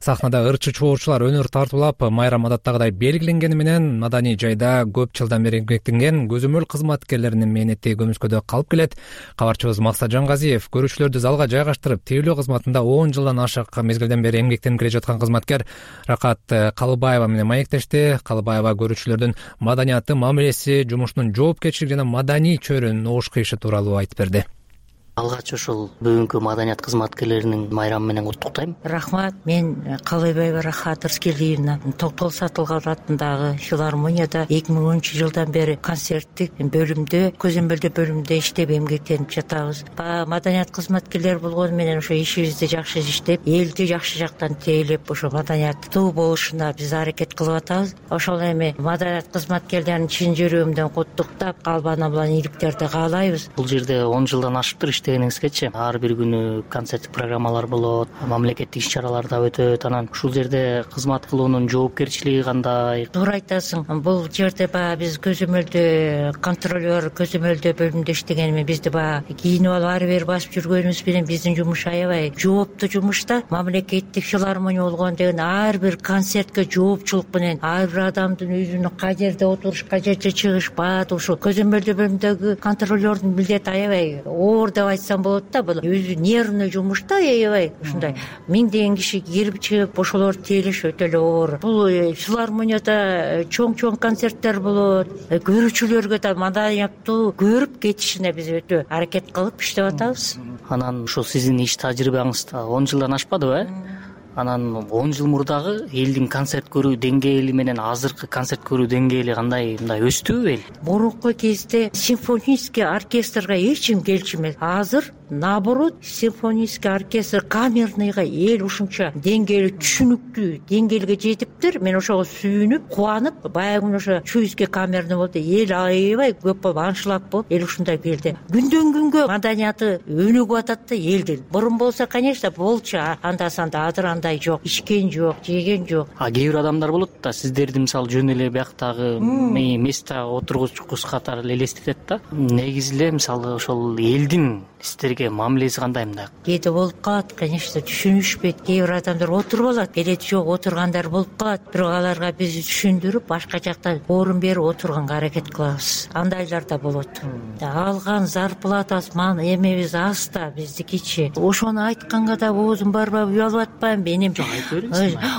сахнада ырчы чоочулар өнөр тартуулап, майрам адаттагыдай белгиленгени менен маданий жайда көп жылдан бери эмгектенген көзөмөл кызматкерлеринин мээнети көмүскөдө калып келет. Кабарчыбыз Максат Жангазиев көрүүчүлөрдү залга жайгаштырып, тейлөө кызматында 10 жылдан ашык мезгилден бери эмгектенип келе жаткан кызматкер Ракат Калыбаева менен маектешти. Калыбаева көрүүчүлөрдүн маданияты, мамилеси, жумушунун жоопкерчилиги жана маданий чөйрөнүн ош кыйышы тууралуу айтып берди. Алгач ушул бүгүнкү маданият кызматкерлеринин майрамы менен куттуктайм. Рахмат. Мен Калыбаева Рахат Рыскелдиевна, Токтол Сатылган атындагы филармонияда 2010 жылдан бери концерттик бөлүмдө, көзөмөлдөө бөлүмүндө иштеп эмгектенип жатабыз. Маданият кызматкерлери болгону менен ошо ишибизди жакшы иштеп, элди жакшы жактан тейлеп, ошо маданияттуу болушуна биз аракет кылып атабыз. Ошол эми маданият кызматкерлерин чын жүрөгүмдөн куттуктап, калбана менен ийгиликтерди каалайбыз. Бул жерде 10 жылдан ашыптыр иштегениңизгечи. Ар бир күнү концерттик программалар болот, мамлекеттик иш-чаралар да өтөт. Анан ушул жерде кызмат кылуунун жоопкерчилиги кандай? Туура айтасың. Бул жерде биз көзөмөлдөө контролер, көзөмөлдөө бөлүмүндө иштегенми, бизди кийинип алып ары бери басып жүргөнүбүз менен биздин жумуш аябай жооптуу жумушта. Мамлекеттик филармония болгон деген ар бир концертке жоопчулук менен ар бир адамдын өзүнүн кай жерде отуруш, кай жерде чыгыш, бааты ушул көзөмөлдөө бөлүмүндөгү контролердун милдети аябай оор деп айтсам болот да. Бул өзү нервный жумушта аябай ушундай миңдеген киши кирип чыгып ошолорду тейлеш өтө эле оор. Бул филармонияда чоң концерттер болот. Көрүүчүлөргө да маданияттуу көрүп кетишине биз өтө аракет кылып иштеп атабыз. Анан ушул сиздин иш тажрыйбаңызда 10 жылдан ашпадыбы? Анан 10 жыл мурдагы элдин концерт көрүү деңгээли менен азыркы концерт көрүү деңгээли кандай, мындай өстүбү эл? Мурунку кезде симфонический оркестрга эч ким келчү эмес. Азыр наоборот, симфонический оркестр, камерныйга эл ушунча деңгээли түшүнүктүү деңгээлге жетиптир. Мен ошого сүйүнүп, кубанып, баягы күнү ошо Чуйский камерный болду. Эл аябай көп болуп, аншлаг болуп, эл ушундай келди. Күндөн күнгө маданияты өнүгүп атат да элдин. Бурун болсо, конечно, болчу, анда-санда азыр андай жок, ичкен жок, жеген жок. Кээ бир адамдар болот да, сиздерди мисалы жөн эле бияктагы место отургучкус катары элестетет да. Негизи эле мисалы ошол элдин сиздерге мамилеси кандай мындай? Кээде болуп калат, конечно, түшүнүшпөйт. Кээ бир адамдар отуруп алат, кереги жок отургандар болуп калат. Бирок аларга биз түшүндүрүп, башка жакта орун берип отурганга аракет кылабыз. Андайлар да болот. Алган зарплатабыз, эмебиз аз да, биздикичи. Ошону айтканга да оозум барбай, уялып атпайм. Менин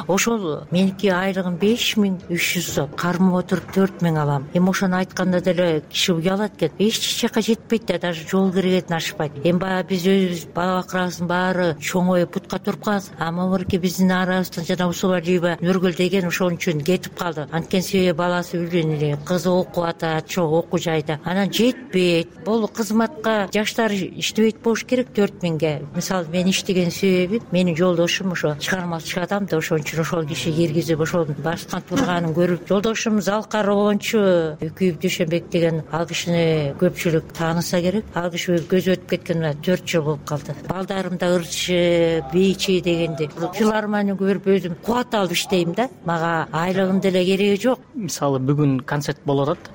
ошол меники айлыгым 5300 сом, кармап отуруп 4000 алам. Эми ошону айтканда деле киши уялат экен. Эч жака жетпейт да, даже жол киргизин ашпайт. Эми баягы биз өзүбүз бала бакырабыздын баары чоңоюп путка туруп калабыз. Могуки биздин арабыздан жана Усубалиева Нургүл деген ошон үчүн кетип калды. Анткени себеби баласы үйлөнүлү, кызы окуп атат, чоң окуу жайда. Анан жетпейт. Бул кызматка жаштар иштебейт болуш керек 4000ге. Мисалы мен иштеген себебим, менин жолдошум ошо чыгармачы адам да, ошон үчүн ошол киши киргизип, ошол баскан турганын көрүп, жолдошум Залкар Обончу Үкүйүп Дүйшөнбек деген ал кишини көпчүлүк тааныса керек. Ал киши көзү өтүп кеткенине 4 жыл болуп калды. Балдарым да ырчы, бийчи дегенди. Филармонияны көрүп өзүм кубат алып иштейм да. Мага айлыгын деле кереги жок. Мисалы бүгүн концерт болуп атат.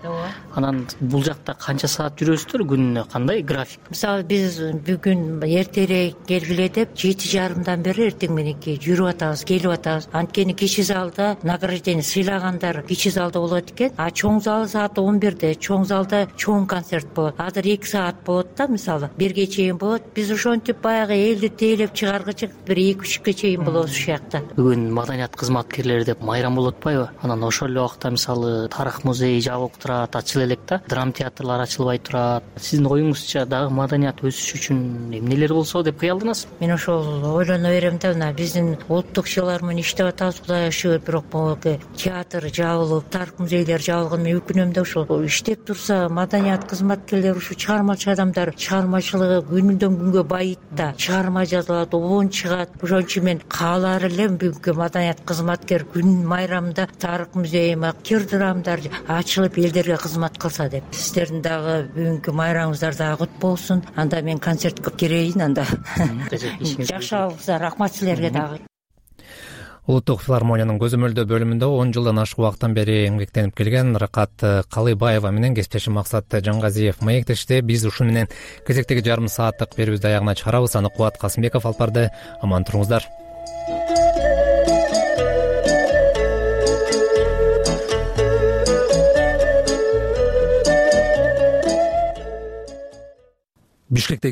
Анан бул жакта канча саат жүрөсүздөр күнүнө, кандай график? Мисалы биз бүгүн эртерээк келгиле деп 7:30 бери эртең мененки жүрүп атабыз, келип атабыз. Анткени кичи залда награждение сыйлагандар кичи залда болот экен. А чоң зал саат 11-де, чоң залда чоң концерт болот. Азыр 2 саат болот да, мисалы 1ге чейин болот. Биз ошентип баягы элди тейлеп чыгаргычы бир 2-3кө чейин болобуз ушул жакта. Бүгүн маданият кызматкерлери деп майрам болуп атпайбы? Анан ошол эле убакта мисалы тарых музейи жабык турат, ачыла элек да, драма театрлар ачылбай турат. Сиздин оюңузча дагы маданият өсүш үчүн эмнелер болсо деп кыялдыңыз? Мен ошол ойлоно берем да, мына биздин улуттук филармония иштеп атабыз, Кудайга шүгүр, бирок могу театр жабылып, тарых музейлер жабылган, мен өкүнөм да. Ошол иштеп турса, маданият кызматкерлери, ушу чыгармачы адамдар чыгармачылыгы күнүдөн күнгө байыйт да, чыгарма жазылат, обон чыгат. Ошон үчүн мен каалар элем бүгүнкү маданият кызматкер күн майрамында тарых музейи, актер драмдар ачылып элдерге кызмат кылса деп. Сиздердин дагы бүгүнкү майрамыңыздар дагы кут болсун. Анда мен концертке кирейин, анда жакшы болсо рахмат силерге дагы. Улуттук филармониянын көзөмөлдөө бөлүмүндө 10 жылдан ашык убакыттан бери эмгектенип келген Ракат Калыйбаева менен кесиптешим Максат Жангазиев маектешти. Биз ушу менен кезектеги жарым сааттык берүүбүздү аягына чыгарабыз. Аны Кубат Касымбеков алып барды. Аман туруңуздар. Бишкектеги